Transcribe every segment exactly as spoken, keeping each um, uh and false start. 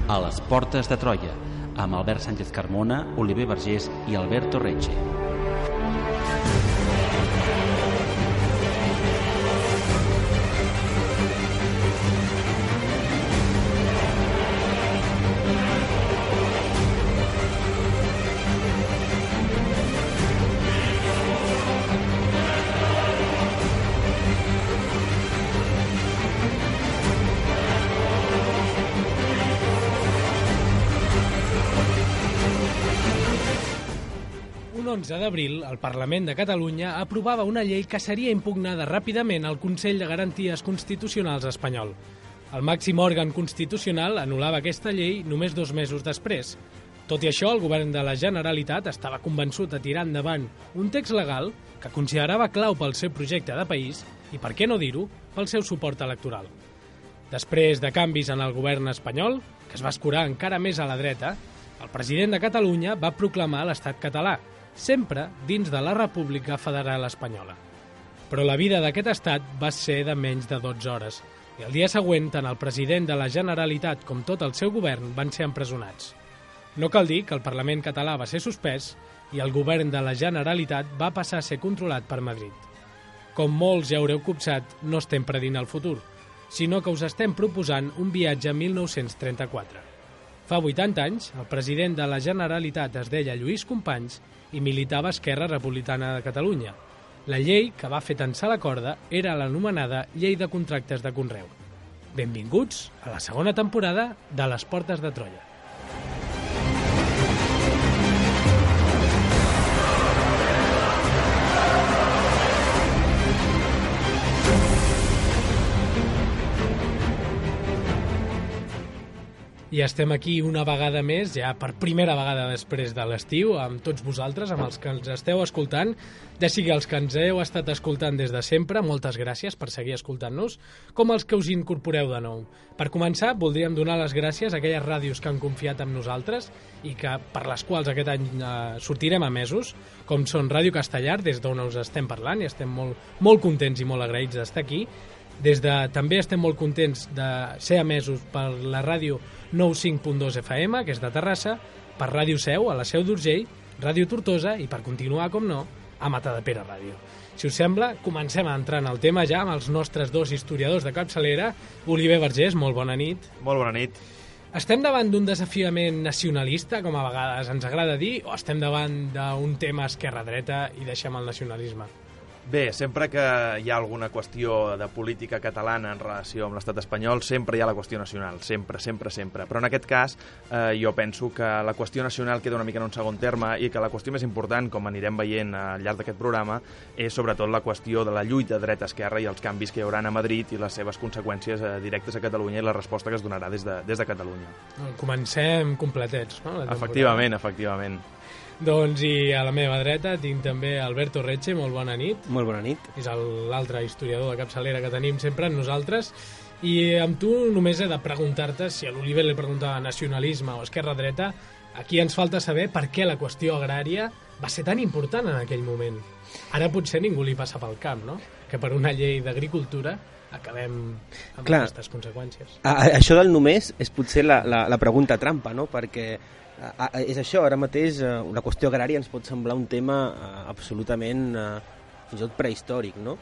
a les Portes de Troia, amb Albert Sánchez Carmona, Oliver Vergés i Alberto Recce. l'onze d'abril, el Parlament de Catalunya aprovava una llei que seria impugnada ràpidament al Consell de Garanties Constitucionals espanyol. El màxim òrgan constitucional anul·lava aquesta llei només dos mesos després. Tot i això, el govern de la Generalitat estava convençut de tirar endavant un text legal que considerava clau pel seu projecte de país i, per què no dir-ho, pel seu suport electoral. Després de canvis en el govern espanyol, que es va escurar encara més a la dreta, el president de Catalunya va proclamar l'estat català, sempre dins de la República Federal Espanyola. Però la vida d'aquest estat va ser de menys de dotze hores, i el dia següent tant el president de la Generalitat com tot el seu govern van ser empresonats. No cal dir que el Parlament català va ser suspès i el govern de la Generalitat va passar a ser controlat per Madrid. Com molts ja haureu copsat, no estem predint el futur, sinó que us estem proposant un viatge a mil nou-cents trenta-quatre. Fa vuitanta anys, el president de la Generalitat es deia Lluís Companys i militava a Esquerra Republicana de Catalunya. La llei que va fer tensar la corda era l'anomenada Llei de Contractes de Conreu. Benvinguts a la segona temporada de Les Portes de Troia. I estem aquí una vegada més, ja per primera vegada després de l'estiu, amb tots vosaltres, amb els que ens esteu escoltant, ja sigui els que ens heu estat escoltant des de sempre, moltes gràcies per seguir escoltant-nos, com els que us incorporeu de nou. Per començar, voldríem donar les gràcies a aquelles ràdios que han confiat en nosaltres i que per les quals aquest any eh, sortirem a mesos, com són Ràdio Castellar, des d'on us estem parlant, i estem molt, molt contents i molt agraïts d'estar aquí. Des de, també estem molt contents de ser emesos per la ràdio nou cinc punt dos F M, que és de Terrassa, per Ràdio Seu, a la Seu d'Urgell, Ràdio Tortosa i, per continuar, com no, a Matadepera Ràdio. Si us sembla, comencem a entrar en el tema ja amb els nostres dos historiadors de capçalera. Oliver Vergés, molt bona nit. Molt bona nit. Estem davant d'un desafiament nacionalista, com a vegades ens agrada dir, o estem davant d'un tema esquerra-dreta i deixem el nacionalisme? Bé, sempre que hi ha alguna qüestió de política catalana en relació amb l'estat espanyol, sempre hi ha la qüestió nacional, sempre, sempre, sempre. Però en aquest cas, eh, jo penso que la qüestió nacional queda una mica en un segon terme i que la qüestió més important, com anirem veient al llarg d'aquest programa, és sobretot la qüestió de la lluita dreta-esquerra i els canvis que hi haurà a Madrid i les seves conseqüències eh, directes a Catalunya i la resposta que es donarà des de, des de Catalunya. Comencem completets, no? Efectivament, efectivament. Doncs i a la meva dreta tinc també Alberto Recce, molt bona nit. Molt bona nit. És l'altre historiador de capçalera que tenim sempre amb nosaltres. I amb tu només he de preguntar-te, si a l'Oliver li preguntava nacionalisme o esquerra-dreta, aquí ens falta saber per què la qüestió agrària va ser tan important en aquell moment. Ara potser ningú li passa pel cap, no? Que per una llei d'agricultura acabem amb Clar, aquestes conseqüències. A, a, això del només és potser la, la, la pregunta trampa, no? Perquè a, a, és això, ara mateix uh, la qüestió agrària ens pot semblar un tema uh, absolutament uh, fins i tot prehistòric, no?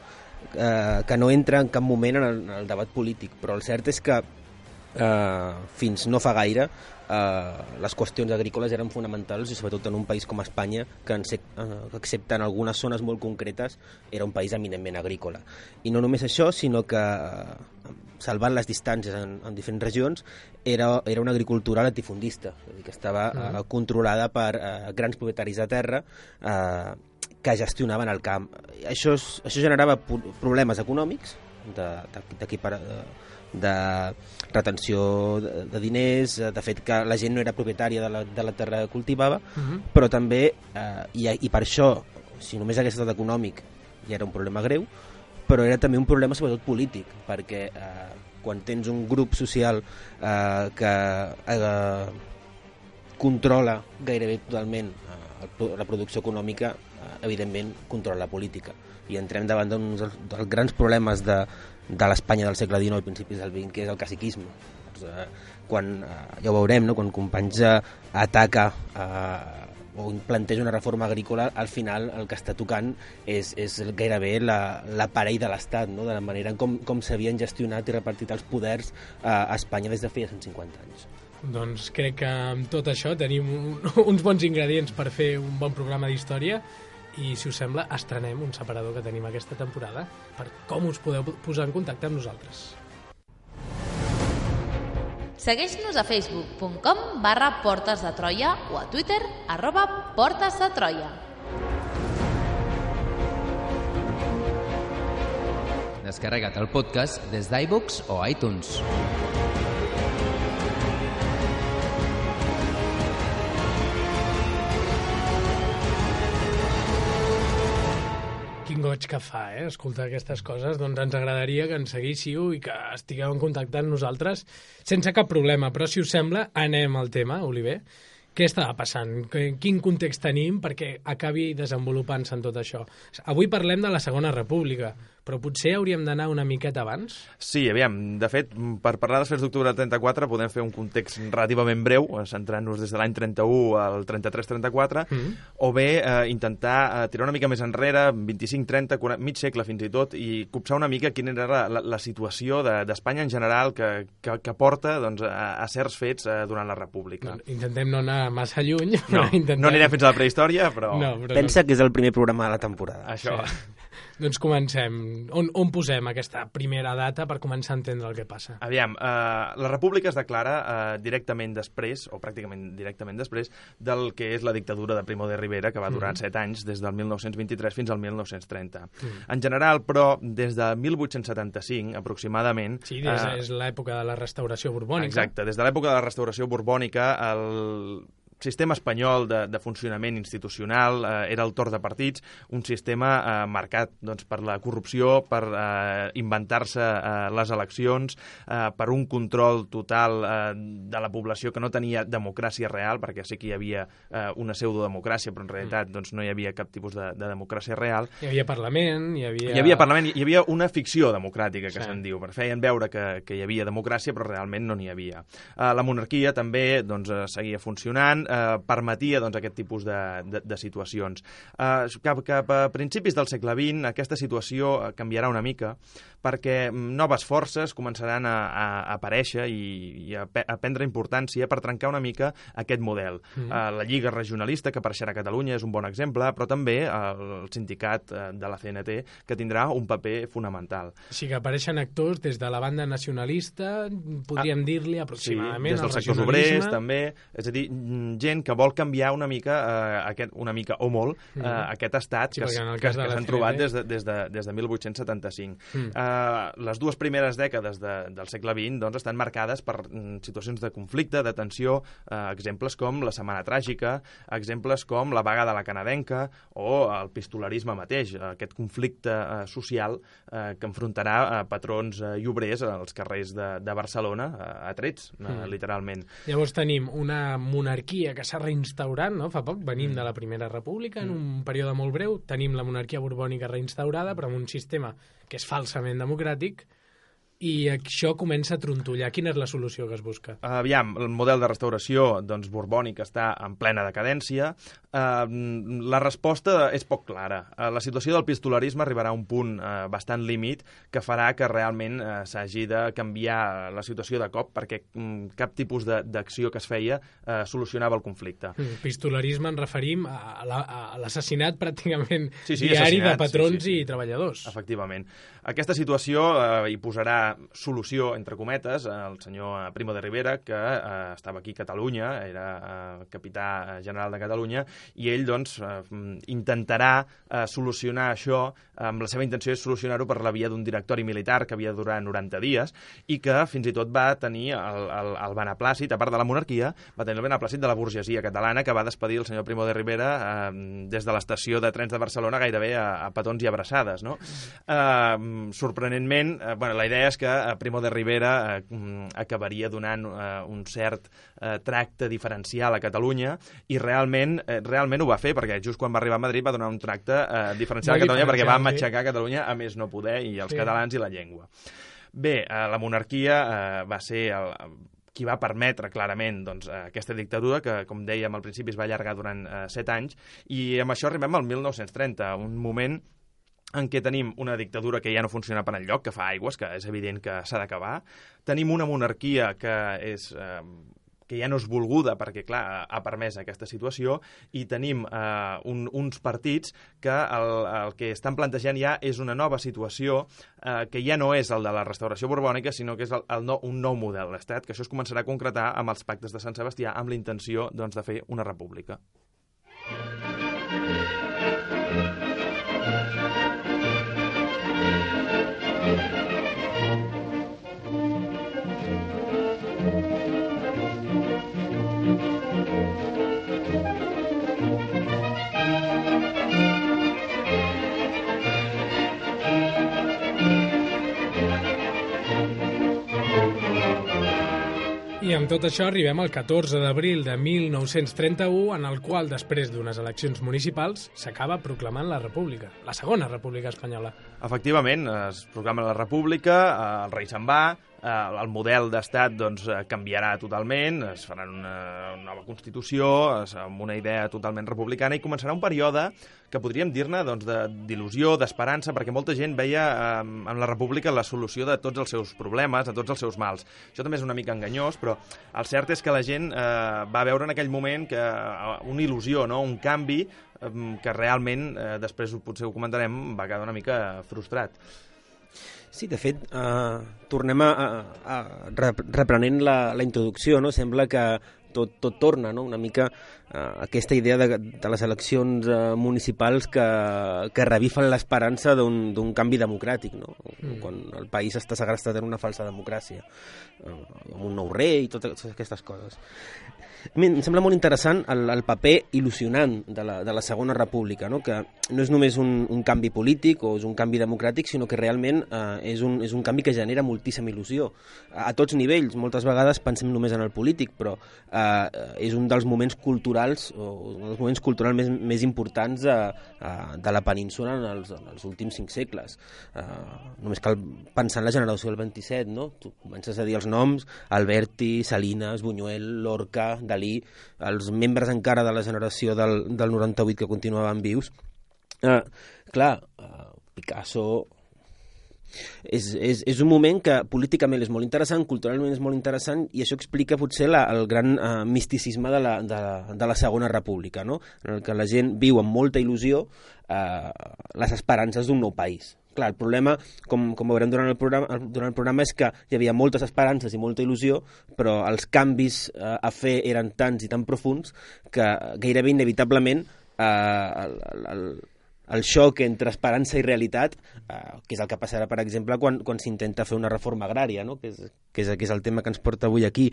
Uh, que no entra en cap moment en el, en el debat polític, però el cert és que uh, fins no fa gaire Uh, les qüestions agrícoles eren fonamentals i sobretot en un país com Espanya que, en se, uh, que excepte en algunes zones molt concretes era un país eminentment agrícola. I no només això, sinó que uh, salvant les distàncies en, en diferents regions era, era una agricultura latifundista, és a dir, que estava uh, controlada per uh, grans propietaris de terra uh, que gestionaven el camp. Això, és, això generava problemes econòmics d'aquí per... Uh, de retenció de, de diners, de fet que la gent no era propietària de la, de la terra que cultivava, uh-huh. però també, eh, i, i per això, si només hagués estat econòmic, ja era un problema greu, però era també un problema sobretot polític, perquè eh, quan tens un grup social eh, que eh, controla gairebé totalment eh, la producció econòmica, eh, evidentment controla la política. I entrem davant d'un dels grans problemes de de l'Espanya del segle dinou i principis del vint, que és el caciquisme. Llavors, eh, quan, eh, ja ho veurem, no? Quan Companys eh, ataca eh, o planteja una reforma agrícola, al final el que està tocant és, és gairebé l'aparell de l'Estat, no? De la manera com, com s'havien gestionat i repartit els poders eh, a Espanya des de feia cent cinquanta anys. Doncs crec que amb tot això tenim un, uns bons ingredients per fer un bon programa d'història i, si us sembla, estrenem un separador que tenim aquesta temporada per com us podeu posar en contacte amb nosaltres. Segueix-nos a facebook punt com barra Portes de Troia o a Twitter arroba Portes de Troia. Descarrega't el podcast des d'iVoox o iTunes. Quin goig que fa, eh? Escoltar aquestes coses. Doncs ens agradaria que ens seguíssiu i que estigueu en contacte amb nosaltres sense cap problema. Però, si us sembla, anem al tema, Oliver. Què estava passant? Quin context tenim perquè acabi desenvolupant-se en tot això? Avui parlem de la Segona República, però potser hauríem d'anar una miqueta abans? Sí, aviam, de fet, per parlar dels fets d'octubre del trenta-quatre podem fer un context relativament breu, centrant-nos des de l'any trenta-u al trenta-tres trenta-quatre, mm. o bé eh, intentar eh, tirar una mica més enrere, vint-i-cinc trenta, mig segle fins i tot, i copsar una mica quina era la, la, la situació d'Espanya de, en general que, que, que porta doncs, a, a certs fets eh, durant la República. No, intentem no anar massa lluny. No, intentem... no anirem fins a la prehistòria, però... No, però Pensa no. que és el primer programa de la temporada. Això. Sí. Doncs comencem. On, on posem aquesta primera data per començar a entendre el que passa? Aviam, eh, la República es declara eh, directament després, o pràcticament directament després, del que és la dictadura de Primo de Rivera, que va durar mm. set anys, des del mil nou-cents vint-i-tres fins al mil nou-cents trenta. Mm. En general, però, des de mil vuit-cents setanta-cinc, aproximadament... Sí, des, eh, és l'època de la restauració borbònica. Exacte, des de l'època de la restauració borbònica, el sistema espanyol de, de funcionament institucional eh, era el torn de partits, un sistema eh, marcat doncs, per la corrupció, per eh, inventar-se eh, les eleccions, eh, per un control total eh, de la població que no tenia democràcia real, perquè sí que hi havia eh, una pseudodemocràcia, però en realitat doncs, no hi havia cap tipus de, de democràcia real. Hi havia Parlament, hi havia... Hi havia Parlament, hi havia una ficció democràtica, que sí. se'n diu, per feien veure que, que hi havia democràcia, però realment no n'hi havia. Eh, la monarquia també doncs, seguia funcionant, Eh, permetia doncs, aquest tipus de, de, de situacions. Eh, cap, cap a principis del segle vint aquesta situació canviarà una mica perquè noves forces començaran a, a aparèixer i, i a, a prendre importància per trencar una mica aquest model. Mm. Eh, la Lliga Regionalista, que apareixerà a Catalunya, és un bon exemple, però també el sindicat de la C N T, que tindrà un paper fonamental. Sí, que apareixen actors des de la banda nacionalista, podríem ah, dir-li aproximadament, sí, des dels sectors obrers, també, és a dir, gent que vol canviar una mica, eh, aquest, una mica o molt, eh, mm. aquest estat sí, que, que, que s'han trobat des de, des, de, des de mil vuit-cents setanta-cinc. Mm. Eh, les dues primeres dècades de, del segle vint doncs, estan marcades per mm, situacions de conflicte, de tensió, eh, exemples com la Setmana Tràgica, exemples com la vaga de la canadenca o el pistolarisme mateix, aquest conflicte eh, social eh, que enfrontarà eh, patrons eh, i obrers als carrers de, de Barcelona eh, a trets, mm. eh, literalment. Llavors tenim una monarquia que s'ha reinstaurant, no? Fa poc venim mm. de la Primera República, en un període molt breu, tenim la monarquia borbònica reinstaurada, però amb un sistema que és falsament democràtic, i això comença a trontollar. Quina és la solució que es busca? Aviam, el model de restauració doncs, borbònic està en plena decadència. Uh, la resposta és poc clara. Uh, la situació del pistolarisme arribarà a un punt uh, bastant límit que farà que realment uh, s'hagi de canviar la situació de cop perquè um, cap tipus d'acció que es feia uh, solucionava el conflicte. Mm, pistolarisme ens referim a l'assassinat pràcticament sí, sí, diari de patrons sí, sí. i treballadors. Efectivament. Aquesta situació uh, hi posarà solució, entre cometes, el senyor Primo de Rivera, que eh, estava aquí a Catalunya, era eh, capità general de Catalunya, i ell doncs, eh, intentarà eh, solucionar això, amb la seva intenció és solucionar-ho per la via d'un directori militar que havia de durar noranta dies i que fins i tot va tenir el, el, el beneplàcit, a part de la monarquia, va tenir el beneplàcit de la burgesia catalana que va despedir el senyor Primo de Rivera eh, des de l'estació de trens de Barcelona gairebé a, a petons i abraçades. No? Eh, sorprenentment, eh, bueno, la idea és que Primo de Rivera eh, acabaria donant eh, un cert eh, tracte diferencial a Catalunya i realment eh, realment ho va fer perquè just quan va arribar a Madrid va donar un tracte eh, diferencial a Catalunya perquè va matxacar Catalunya a més no poder i els sí. catalans i la llengua. Bé, eh, la monarquia eh, va ser el, qui va permetre clarament doncs, aquesta dictadura, que, com dèiem al principi, es va allargar durant eh, set anys, i amb això arribem al mil nou-cents trenta, un moment en què tenim una dictadura que ja no funciona per enlloc, que fa aigües, que és evident que s'ha d'acabar. Tenim una monarquia que és... Eh, que ja no és volguda perquè, clar, ha permès aquesta situació, i tenim eh, un, uns partits que el, el que estan plantejant ja és una nova situació eh, que ja no és el de la restauració borbònica, sinó que és el, el no, un nou model d'estat, que això es començarà a concretar amb els pactes de Sant Sebastià, amb la intenció doncs, de fer una república. I amb tot això arribem al catorze d'abril de mil nou-cents trenta-u, en el qual, després d'unes eleccions municipals, s'acaba proclamant la República, la segona República Espanyola. Efectivament, es proclama la República, el rei se'n va, el model d'estat doncs, canviarà totalment, es farà una nova Constitució amb una idea totalment republicana, i començarà un període que podríem dir-ne doncs, d'il·lusió, d'esperança, perquè molta gent veia eh, en la República la solució de tots els seus problemes, de tots els seus mals. Això també és una mica enganyós, però el cert és que la gent eh, va veure en aquell moment que eh, una il·lusió, no? Un canvi eh, que realment, eh, després potser ho comentarem, va quedar una mica frustrat. Sí, de fet, eh, tornem a, a, a reprenent la, la introducció, no? Sembla que tot, tot torna, no? Una mica eh, aquesta idea de, de les eleccions eh, municipals que, que revifen l'esperança d'un canvi democràtic, no? Mm. Quan el país està segrestat en una falsa democràcia, eh, amb un nou rei i totes aquestes coses. A mi em sembla molt interessant el, el paper il·lusionant de la, de la Segona República, no? Que no és només un, un canvi polític o és un canvi democràtic, sinó que realment eh, és, un, és un canvi que genera moltíssima il·lusió. A, a tots nivells, moltes vegades pensem només en el polític, però eh, és un dels moments culturals, o un dels moments culturals més, més importants de, de la península en els, en els últims cinc segles. Eh, només cal pensar en la generació del vint-i-set, no? Tu comences a dir els noms: Alberti, Salinas, Buñuel, Lorca, Dalí, els membres encara de la generació del, del noranta-vuit que continuaven vius. Eh, clar, eh, Picasso... És, és, és un moment que políticament és molt interessant, culturalment és molt interessant, i això explica potser la, el gran eh, misticisme de la, de, de la Segona República, no? En el que la gent viu amb molta il·lusió eh, les esperances d'un nou país. Clar, el problema, com, com veurem durant el, programa, durant el programa, és que hi havia moltes esperances i molta il·lusió, però els canvis eh, a fer eren tants i tan profuns que gairebé inevitablement eh, el, el, el xoc entre esperança i realitat, eh, que és el que passarà, per exemple, quan, quan s'intenta fer una reforma agrària, no? que, és, que, és, que és el tema que ens porta avui aquí,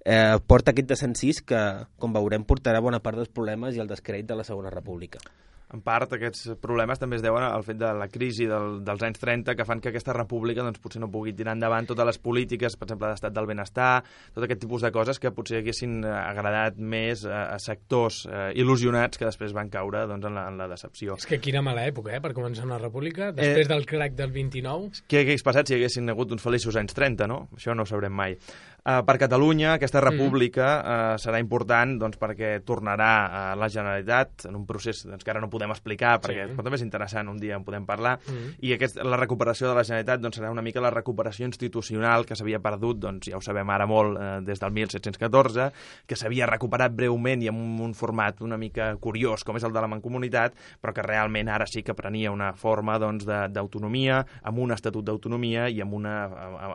eh, porta aquest desencís que, com veurem, portarà bona part dels problemes i el descrèdit de la Segona República. En part, aquests problemes també es deuen al fet de la crisi del, dels anys trenta, que fan que aquesta república doncs, potser no pugui tirar endavant totes les polítiques, per exemple, d'estat del benestar, tot aquest tipus de coses que potser haguessin agradat més a, a sectors eh, il·lusionats que després van caure doncs, en, la, en la decepció. És que quina mala època, eh, per començar una república, després eh, del crac del vint-i-nou. Què hagués passat si haguessin hagut uns feliços anys trenta, no? Això no ho sabrem mai. Uh, per Catalunya, aquesta república uh, serà important doncs, perquè tornarà a la Generalitat en un procés doncs, que ara no podem explicar, perquè sí. També és interessant, un dia en podem parlar, mm. i aquest, la recuperació de la Generalitat doncs, serà una mica la recuperació institucional que s'havia perdut, doncs, ja ho sabem ara molt, eh, des del mil set-cents catorze, que s'havia recuperat breument i en un, un format una mica curiós, com és el de la Mancomunitat, però que realment ara sí que prenia una forma doncs, d'autonomia, amb un estatut d'autonomia i amb, una,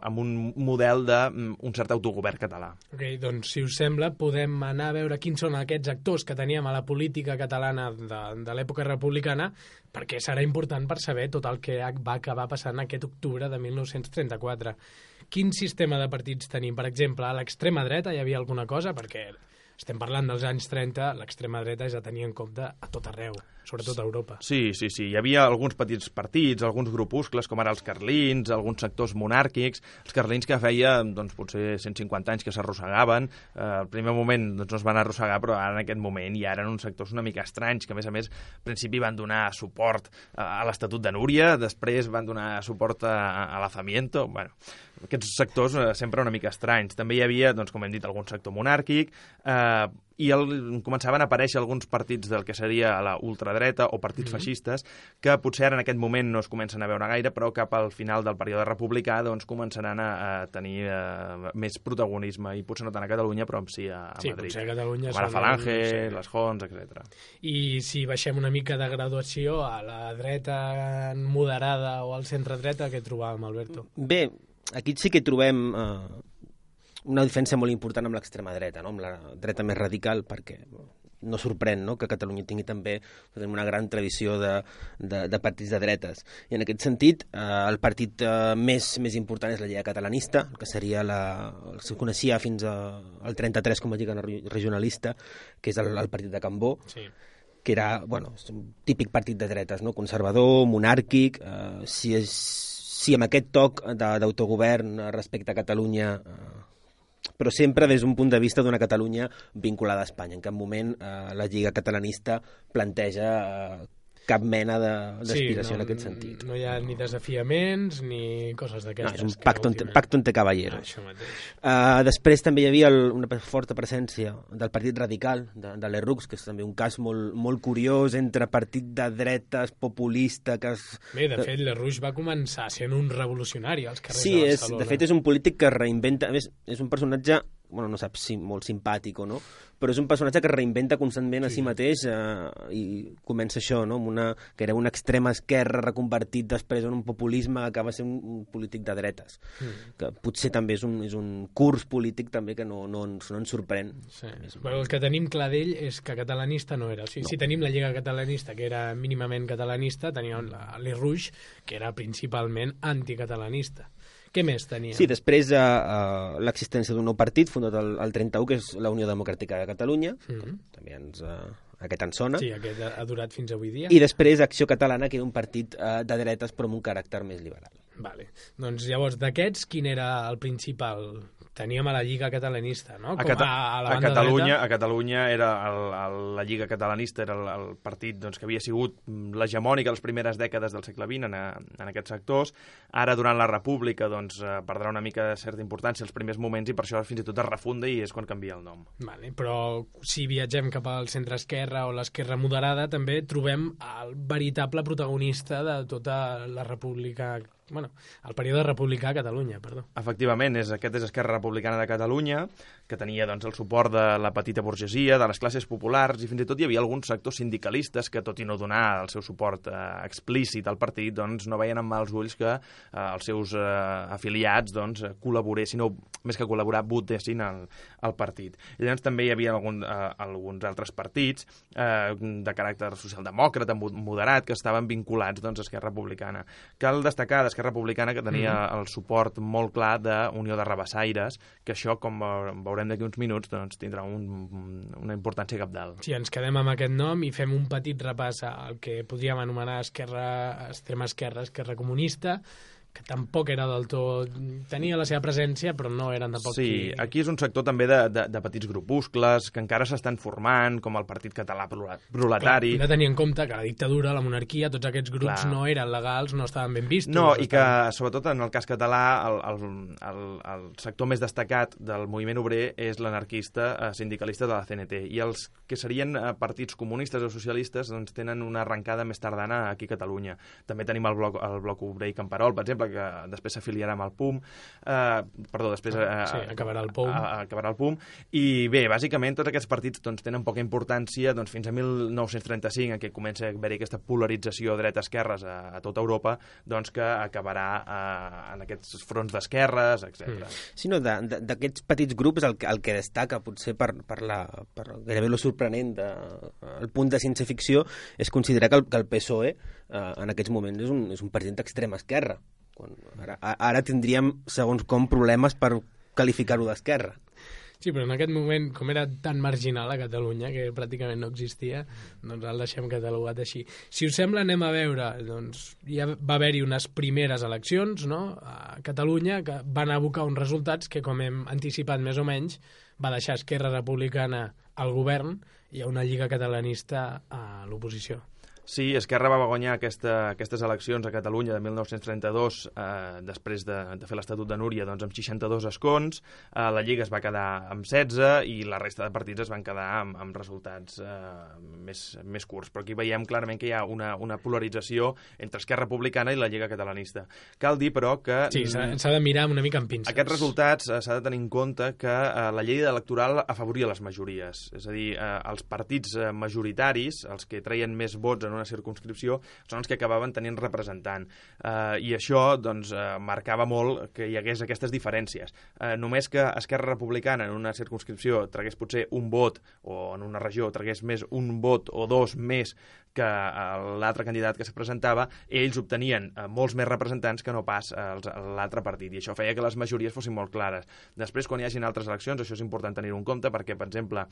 amb un model d'un cert autogovern català. Ok, doncs, si us sembla, podem anar a veure quins són aquests actors que teníem a la política catalana de, de l'època republicana, perquè serà important per saber tot el que va acabar passant aquest octubre de mil nou-cents trenta-quatre. Quin sistema de partits tenim? Per exemple, a l'extrema dreta hi havia alguna cosa? Perquè estem parlant dels anys trenta, l'extrema dreta és a tenir en compte a tot arreu, sobretot a Europa. Sí, sí, sí. Hi havia alguns petits partits, alguns grupuscles, com ara els carlins, alguns sectors monàrquics, els carlins que feia, doncs, potser cent cinquanta anys que s'arrossegaven. Eh, al primer moment doncs, no es van arrossegar, però ara en aquest moment ja eren uns sectors una mica estranys, que a més a més, al principi van donar suport a l'Estatut de Núria, després van donar suport a, a l'Azamiento. Bueno, aquests sectors eh, sempre una mica estranys. També hi havia, doncs, com hem dit, algun sector monàrquic, eh, i el, començaven a aparèixer alguns partits del que seria la ultradreta o partits mm-hmm. feixistes, que potser ara en aquest moment no es comencen a veure gaire, però cap al final del període republicà doncs, començaran a, a tenir eh, més protagonisme, i potser no tant a Catalunya, però sí a, a sí, Madrid. Sí, potser a Catalunya com ara Falange, sí. les Jons, etcètera. I si baixem una mica de graduació a la dreta moderada o al centre-dreta, què trobàvem, Alberto? Bé, aquí sí que trobem eh, una diferència molt important amb l'extrema dreta, no? Amb la dreta més radical, perquè no sorprèn, no?, que Catalunya tingui també una gran tradició de, de, de partits de dretes. I en aquest sentit, eh, el partit eh, més, més important és la Lliga Catalanista, que seria la, el que coneixia fins a, al trenta-tres com a Lliga Regionalista, que és el, el partit de Cambó, sí. que era, bueno, un típic partit de dretes, no?, conservador, monàrquic, eh, si, és, si amb aquest toc d'autogovern respecte a Catalunya, eh, però sempre des d'un punt de vista d'una Catalunya vinculada a Espanya. En cap moment eh, la Lliga Catalanista planteja eh, cap mena d'aspiració sí, no, en aquest sentit. No hi ha ni desafiaments ni coses d'aquestes. No, és un pacto entre, pacto entre caballeros. Ah, uh, després també hi havia el, una forta presència del Partit Radical, de, de l'Errux, que és també un cas molt, molt curiós entre partit de dretes, populista... Que es, Bé, de fet, l'Errux va començar sent un revolucionari als carrers sí, de Barcelona. Sí, de fet és un polític que reinventa... A més, és un personatge... bueno, no saps si molt simpàtic o no, però és un personatge que es reinventa constantment a sí, sí mateix eh, i comença això, no? Amb una, que era una extrema esquerra reconvertit després en un populisme que acaba sent un, un polític de dretes, mm. que potser també és un, és un curs polític també que no, no, ens, no ens sorprèn. Sí. Però el que tenim clar d'ell és que catalanista no era. O sigui, no. Si tenim la Lliga Catalanista, que era mínimament catalanista, teníem l'Errux, que era principalment anticatalanista. Què més tenia? Sí, després uh, uh, l'existència d'un nou partit fundat el, el trenta-u, que és la Unió Democràtica de Catalunya, mm-hmm. també ens, uh, aquest en sona. Sí, aquest ha durat fins avui dia. I després Acció Catalana, que era un partit uh, de dretes però amb un caràcter més liberal. Vale. Doncs llavors, d'aquests, quin era el principal? Teníem a la Lliga Catalanista, no? Com a, Cata a, a, la a, banda Catalunya, dreta. a Catalunya era el, el, la Lliga Catalanista era el, el partit doncs, que havia sigut l'hegemònic a les primeres dècades del segle vint en, a, en aquests sectors. Ara, durant la República, doncs, perdrà una mica de certa importància els primers moments i per això fins i tot es refunda i és quan canvia el nom. Vale, però si viatgem cap al centre-esquerra o l'esquerra moderada, també trobem el veritable protagonista de tota la República... Bueno, el període republicà a Catalunya, perdó. Efectivament, és, aquest és Esquerra Republicana de Catalunya, que tenia doncs, el suport de la petita burgesia, de les classes populars, i fins i tot hi havia alguns sectors sindicalistes que, tot i no donar el seu suport eh, explícit al partit, doncs, no veien amb mals ulls que eh, els seus eh, afiliats doncs, col·laboressin, o més que col·laborar, votessin al, al partit. I llavors també hi havia algun, eh, alguns altres partits eh, de caràcter socialdemòcrata, moderat, que estaven vinculats doncs, a Esquerra Republicana. Cal destacar d'Esquerra Republicana que tenia mm-hmm. el suport molt clar d'Unió de Rabassaires, que això, com veurem d'aquí uns minuts, doncs, tindrà un, una importància cabdal. Si ens quedem amb aquest nom i fem un petit repàs al que podríem anomenar esquerra, extrema esquerra, esquerra comunista, que tampoc era del tot... Tenia la seva presència, però no eren tampoc... Sí, qui... aquí és un sector també de, de, de petits grupuscles que encara s'estan formant, com el Partit Català Proletari. Hem de tenir en compte que la dictadura, la monarquia, tots aquests grups Clar. no eren legals, no estaven ben vistos. No, i que, estaven... sobretot en el cas català, el, el, el, el sector més destacat del moviment obrer és l'anarquista eh, sindicalista de la C N T. I els que serien eh, partits comunistes o socialistes doncs, tenen una arrencada més tardana aquí a Catalunya. També tenim el bloc, el bloc obrer i Camperol, per exemple, que després s'afiliarà amb el P U M, eh, perdó, després eh, sí, acabarà el P U M. A, acabarà el P U M, i bé, bàsicament tots aquests partits doncs, tenen poca importància doncs, fins a mil nou-cents trenta-cinc, en què comença a haver-hi aquesta polarització dreta-esquerres a, a tota Europa, doncs que acabarà eh, en aquests fronts d'esquerres, etcètera. Mm. Sí, no, d'aquests petits grups el, el que destaca potser per, per, la, per gairebé lo sorprenent de, el punt de ciència-ficció és considerar que el, que el P S O E eh, en aquests moments és un, és un partit d'extrema esquerra. Quan ara, ara tindríem, segons com, problemes per qualificar-ho d'esquerra. Sí, però en aquest moment, com era tan marginal a Catalunya, que pràcticament no existia, doncs el deixem catalogat així. Si us sembla, anem a veure, doncs ja va haver-hi unes primeres eleccions, no?, a Catalunya, que van abocar uns resultats que, com hem anticipat més o menys, va deixar Esquerra Republicana al govern i a una lliga catalanista a l'oposició. Sí, Esquerra va guanyar aquesta, aquestes eleccions a Catalunya de mil nou-cents trenta-dos eh, després de, de fer l'Estatut de Núria doncs, amb seixanta-dos escons, eh, la Lliga es va quedar amb setze i la resta de partits es van quedar amb, amb resultats eh, més, més curts. Però aquí veiem clarament que hi ha una, una polarització entre Esquerra Republicana i la Lliga Catalanista. Cal dir, però, que... Sí, s'ha de mirar una mica amb pinces. Aquests resultats eh, s'ha de tenir en compte que eh, la llei electoral afavoria les majories. És a dir, eh, els partits eh, majoritaris, els que treien més vots en una circumscripció, són els que acabaven tenint representant. Eh, I això doncs, eh, marcava molt que hi hagués aquestes diferències. Eh, només que Esquerra Republicana en una circumscripció tragués potser un vot, o en una regió tragués més un vot o dos més que l'altre candidat que se presentava, ells obtenien eh, molts més representants que no pas eh, l'altre partit, i això feia que les majories fossin molt clares. Després, quan hi hagin altres eleccions, això és important tenir-ho en compte, perquè, per exemple,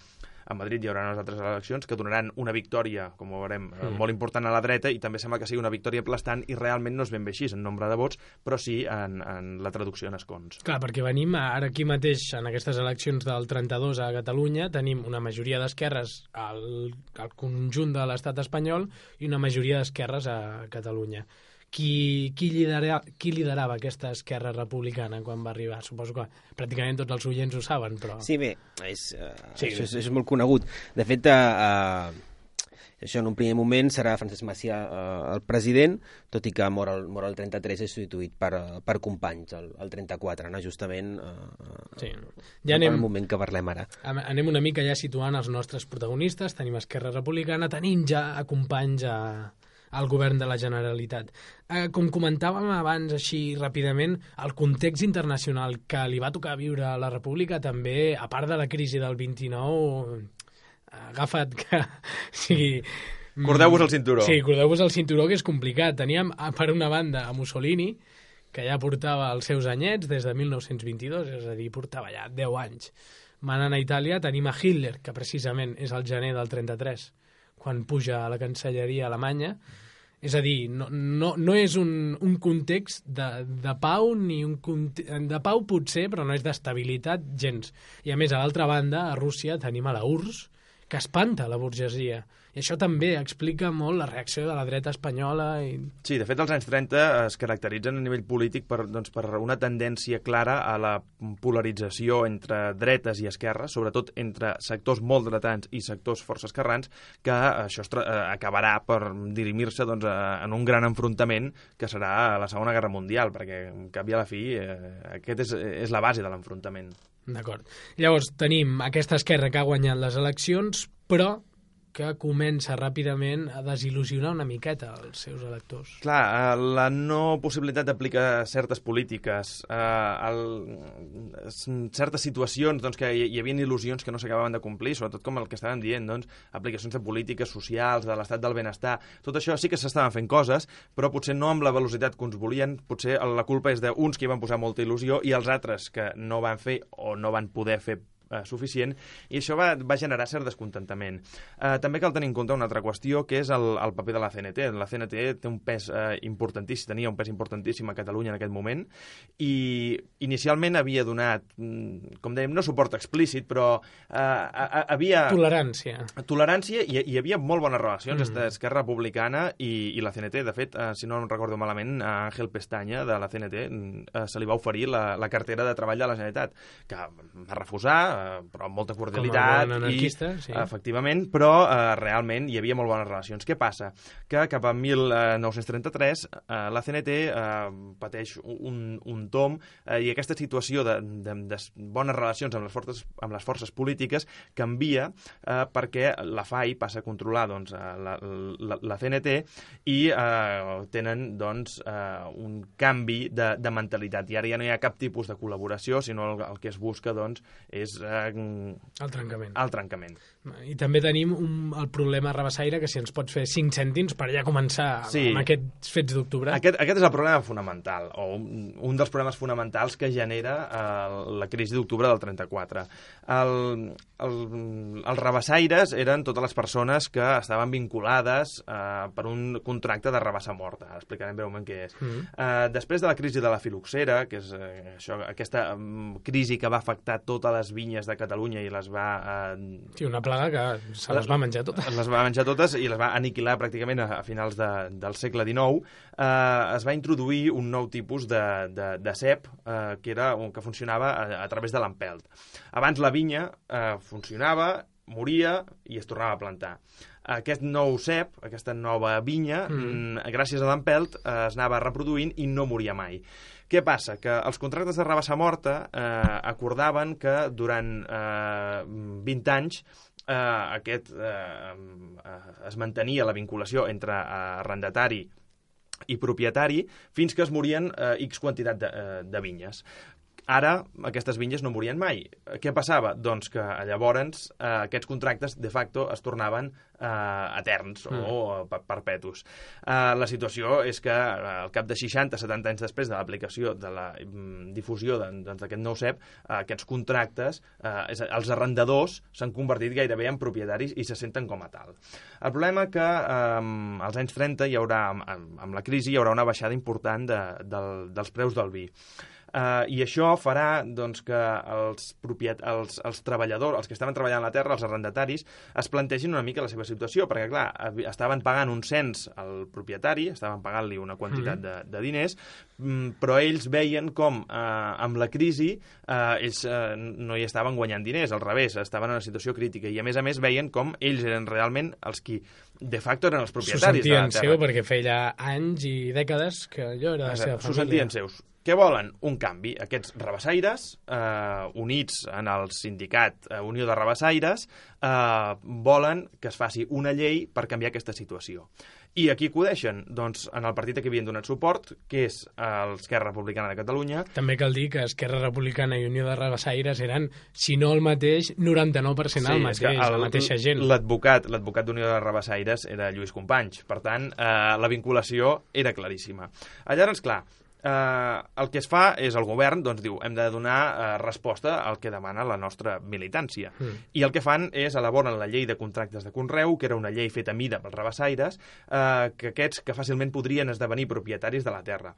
a Madrid hi haurà unes altres eleccions que donaran una victòria, com ho veurem, eh, molt important a la dreta, i també sembla que sigui una victòria aplastant, i realment no és ben bé així en nombre de vots, però sí en, en la traducció en escons. Clar, perquè venim ara aquí mateix, en aquestes eleccions del trenta-dos a Catalunya, tenim una majoria d'esquerres al, al conjunt de l'estat espanyol i una majoria d'esquerres a Catalunya. Qui, qui, lidera, qui liderava aquesta Esquerra Republicana quan va arribar? Suposo que pràcticament tots els oients ho saben, però... Sí, bé, és, uh, sí. Això és, és molt conegut. De fet, uh, això en un primer moment serà Francesc Macià uh, el president, tot i que mor el, mor el trenta-tres és substituït per, uh, per Companys, el, el trenta-quatre, no? Justament uh, sí. Ja anem, el moment que parlem ara. Anem una mica ja situant els nostres protagonistes, tenim Esquerra Republicana, tenim ja a Companys a, al govern de la Generalitat. Eh, com comentàvem abans així ràpidament, el context internacional que li va tocar viure a la República també, a part de la crisi del vint-i-nou, agafa't que... Sí, cordeu-vos el cinturó. Sí, cordeu-vos el cinturó, que és complicat. Teníem, per una banda, a Mussolini, que ja portava els seus anyets des de mil nou-cents vint-i-dos, és a dir, portava ja deu anys. Manant a Itàlia tenim a Hitler, que precisament és el gener del trenta-tres, quan puja a la cancelleria alemanya. És a dir, no, no, no és un, un context de, de pau, ni un conte... de pau potser, però no és d'estabilitat gens. I a més, a l'altra banda, a Rússia tenim a la U R S S, que espanta la burgesia. I això també explica molt la reacció de la dreta espanyola. I... Sí, de fet, els anys trenta es caracteritzen a nivell polític per, doncs, per una tendència clara a la polarització entre dretes i esquerres, sobretot entre sectors molt dretans i sectors força esquerrans, que això eh, acabarà per dirimir-se doncs, en un gran enfrontament que serà la Segona Guerra Mundial, perquè, en cap i a la fi, eh, aquest és, és la base de l'enfrontament. D'acord. Llavors, tenim aquesta esquerra que ha guanyat les eleccions, però que comença ràpidament a desil·lusionar una miqueta els seus electors. Clar, la no possibilitat d'aplicar certes polítiques, eh, el, certes situacions doncs, que hi, hi havia il·lusions que no s'acabaven de complir, sobretot com el que estàvem dient, doncs, aplicacions de polítiques socials, de l'estat del benestar, tot això sí que s'estaven fent coses, però potser no amb la velocitat que uns volien, potser la culpa és d'uns que hi van posar molta il·lusió i els altres que no van fer o no van poder fer suficient, i això va, va generar cert descontentament. Eh, també cal tenir en compte una altra qüestió, que és el, el paper de la C N T. La C N T té un pes eh, importantíssim, tenia un pes importantíssim a Catalunya en aquest moment, i inicialment havia donat, com dèiem, no suport explícit, però eh, havia... Tolerància. Tolerància, i hi havia molt bones relacions mm. entre Esquerra Republicana i, i la C N T. De fet, eh, si no em recordo malament, a Ángel Pestaña, de la C N T, eh, se li va oferir la, la cartera de treball de la Generalitat, que va refusar, però amb molta cordialitat, i, sí. efectivament, però eh, realment hi havia molt bones relacions. Què passa? Que cap a mil nou-cents trenta-tres eh, la C N T eh, pateix un, un tom eh, i aquesta situació de, de, de bones relacions amb les forces, amb les forces polítiques canvia eh, perquè la F A I passa a controlar doncs, la, la, la C N T i eh, tenen doncs, eh, un canvi de, de mentalitat. I ara ja no hi ha cap tipus de col·laboració, sinó el, el que es busca doncs, és eh, el trencament. el trencament. I també tenim un, el problema rabassaire, que si ens pots fer cinc cèntims per ja començar sí. amb aquests fets d'octubre. Aquest, aquest és el problema fonamental, o un, un dels problemes fonamentals que genera eh, la crisi d'octubre del trenta-quatre. El, el, els rabassaires eren totes les persones que estaven vinculades eh, per un contracte de rabassa morta. Ara explicarem breument què és. Mm-hmm. eh, després de la crisi de la filoxera, que és eh, això, aquesta um, crisi que va afectar totes les vinyes de Catalunya i les va... Eh, sí, una plaga que se les va menjar totes. Les va menjar totes i les va aniquilar pràcticament a, a finals de, del segle dinou. Eh, es va introduir un nou tipus de, de, de cep eh, que, era, que funcionava a, a través de l'empelt. Abans la vinya eh, funcionava, moria i es tornava a plantar. Aquest nou cep, aquesta nova vinya, mm. gràcies a l'empelt, eh, es anava reproduint i no moria mai. Què passa? Que els contractes de rabassa morta eh, acordaven que durant eh, vint anys eh, aquest, eh, es mantenia la vinculació entre arrendatari i propietari fins que es morien eh, X quantitat de, eh, de vinyes. Ara, aquestes vinyes no morien mai. Què passava? Doncs que llavors eh, aquests contractes, de facto, es tornaven eh, eterns mm. o perpetus. Eh, la situació és que eh, al cap de seixanta a setanta anys després de l'aplicació de la mm, difusió d'aquest doncs, nou cep, eh, aquests contractes, eh, és, els arrendadors s'han convertit gairebé en propietaris i se senten com a tal. El problema que eh, als anys trenta hi haurà, amb, amb la crisi, hi haurà una baixada important de, del, dels preus del vi. Uh, I això farà doncs, que els, propiet... els, els treballadors, els que estaven treballant a la terra, els arrendataris, es plantegin una mica la seva situació, perquè, clar, estaven pagant un cens al propietari, estaven pagant-li una quantitat de, de diners, però ells veien com, eh, amb la crisi, eh, ells eh, no hi estaven guanyant diners, al revés, estaven en una situació crítica, i a més a més veien com ells eren realment els qui, de facto, eren els propietaris de la terra. S'ho sentien seu, perquè feia anys i dècades que allò era la seva família. S'ho sentien seus. Què volen? Un canvi. Aquests rabassaires, eh, units en el sindicat eh, Unió de Rabassaires, eh, volen que es faci una llei per canviar aquesta situació. I aquí acudeixen? Doncs en el partit a què havien donat suport, que és l'Esquerra Republicana de Catalunya. També cal dir que Esquerra Republicana i Unió de Rabassaires eren, si no el mateix, noranta-nou per cent sí, el mateix, el, la mateixa gent. L'advocat l'advocat d'Unió de Rabassaires era Lluís Companys. Per tant, eh, la vinculació era claríssima. Llavors, clar, Uh, el que es fa és el govern doncs diu hem de donar uh, resposta al que demana la nostra militància mm. i el que fan és elaboren la llei de contractes de conreu, que era una llei feta a mida pels rabassaires, uh, que aquests que fàcilment podrien esdevenir propietaris de la terra.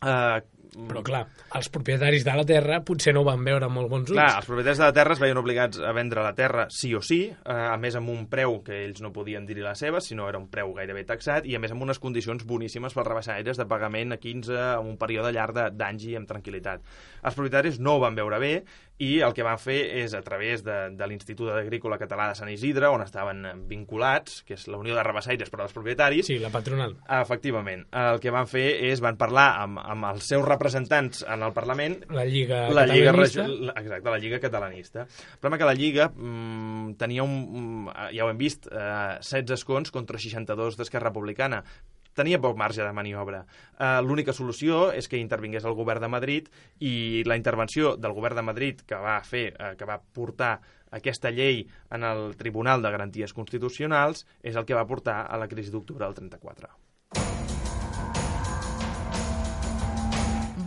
Uh, Però clar, els propietaris de la terra potser no ho van veure amb molt bons ulls. Clar, els propietaris de la terra es veien obligats a vendre la terra sí o sí, eh, a més amb un preu que ells no podien dir-hi la seva, sinó era un preu gairebé taxat, i a més amb unes condicions boníssimes pels rabassaires de pagament a quinze, en un període llarg d'anys i amb tranquil·litat. Els propietaris no ho van veure bé, i el que van fer és, a través de, de l'Institut Agrícola Català de Sant Isidre, on estaven vinculats, que és la Unió de Rabassaires per als propietaris... Sí, la patronal. Efectivament. El que van fer és, van parlar amb, amb els seus representants en el Parlament... La Lliga la Catalanista. Lliga, exacte, la Lliga Catalanista. El problema que la Lliga mmm, tenia un... ja ho hem vist, eh, setze escons contra seixanta-dos d'Esquerra Republicana. Tenia poc marge de maniobra. Uh, L'única solució és que intervingués el govern de Madrid, i la intervenció del govern de Madrid que va fer, uh, que va portar aquesta llei en el Tribunal de Garanties Constitucionals és el que va portar a la crisi d'octubre del trenta-quatre.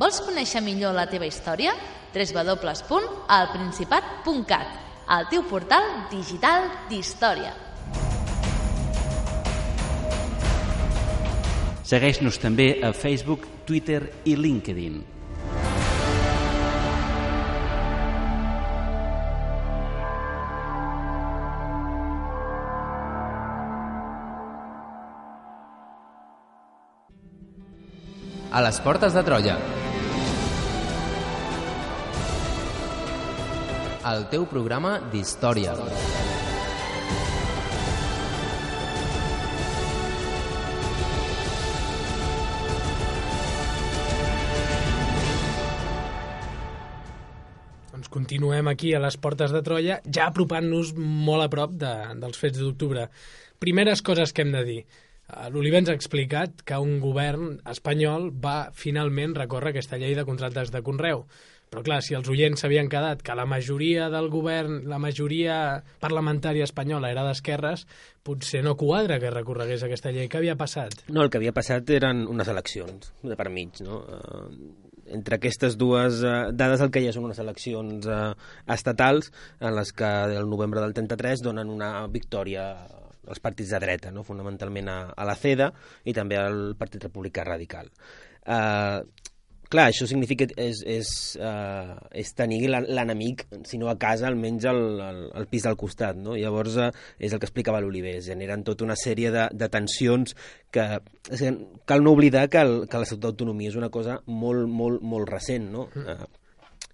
Vols conèixer millor la teva història? w w w punt el principat punt cat, el teu portal digital d'història. Segueix-nos també a Facebook, Twitter i LinkedIn. A les portes de Troia. El teu programa d'història. Continuem aquí a les portes de Troia, ja apropant-nos molt a prop de, dels fets d'octubre. Primeres coses que hem de dir. L'Oliver ens ha explicat que un govern espanyol va finalment recórrer aquesta llei de contractes de conreu. Però clar, si els oients s'havien quedat que la majoria del govern, la majoria parlamentària espanyola era d'esquerres, potser no quadra que recorregués aquesta llei. Què havia passat? No, el que havia passat eren unes eleccions de per mig, no? Uh, entre aquestes dues uh, dades el que hi ha són unes eleccions uh, estatals en les que el novembre del trenta-tres donen una victòria als partits de dreta, no? Fonamentalment a, a la CEDA i també al Partit Republicà Radical. Uh, clar, això significa és, és, uh, és tenir l'enemic, si no a casa, almenys al, al, al pis del costat, no? Llavors uh, és el que explicava l'Oliver, es generen tota una sèrie de, de tensions que, que cal no oblidar que, el, que l'Estatut d'autonomia és una cosa molt, molt, molt recent, no? Mm. Uh,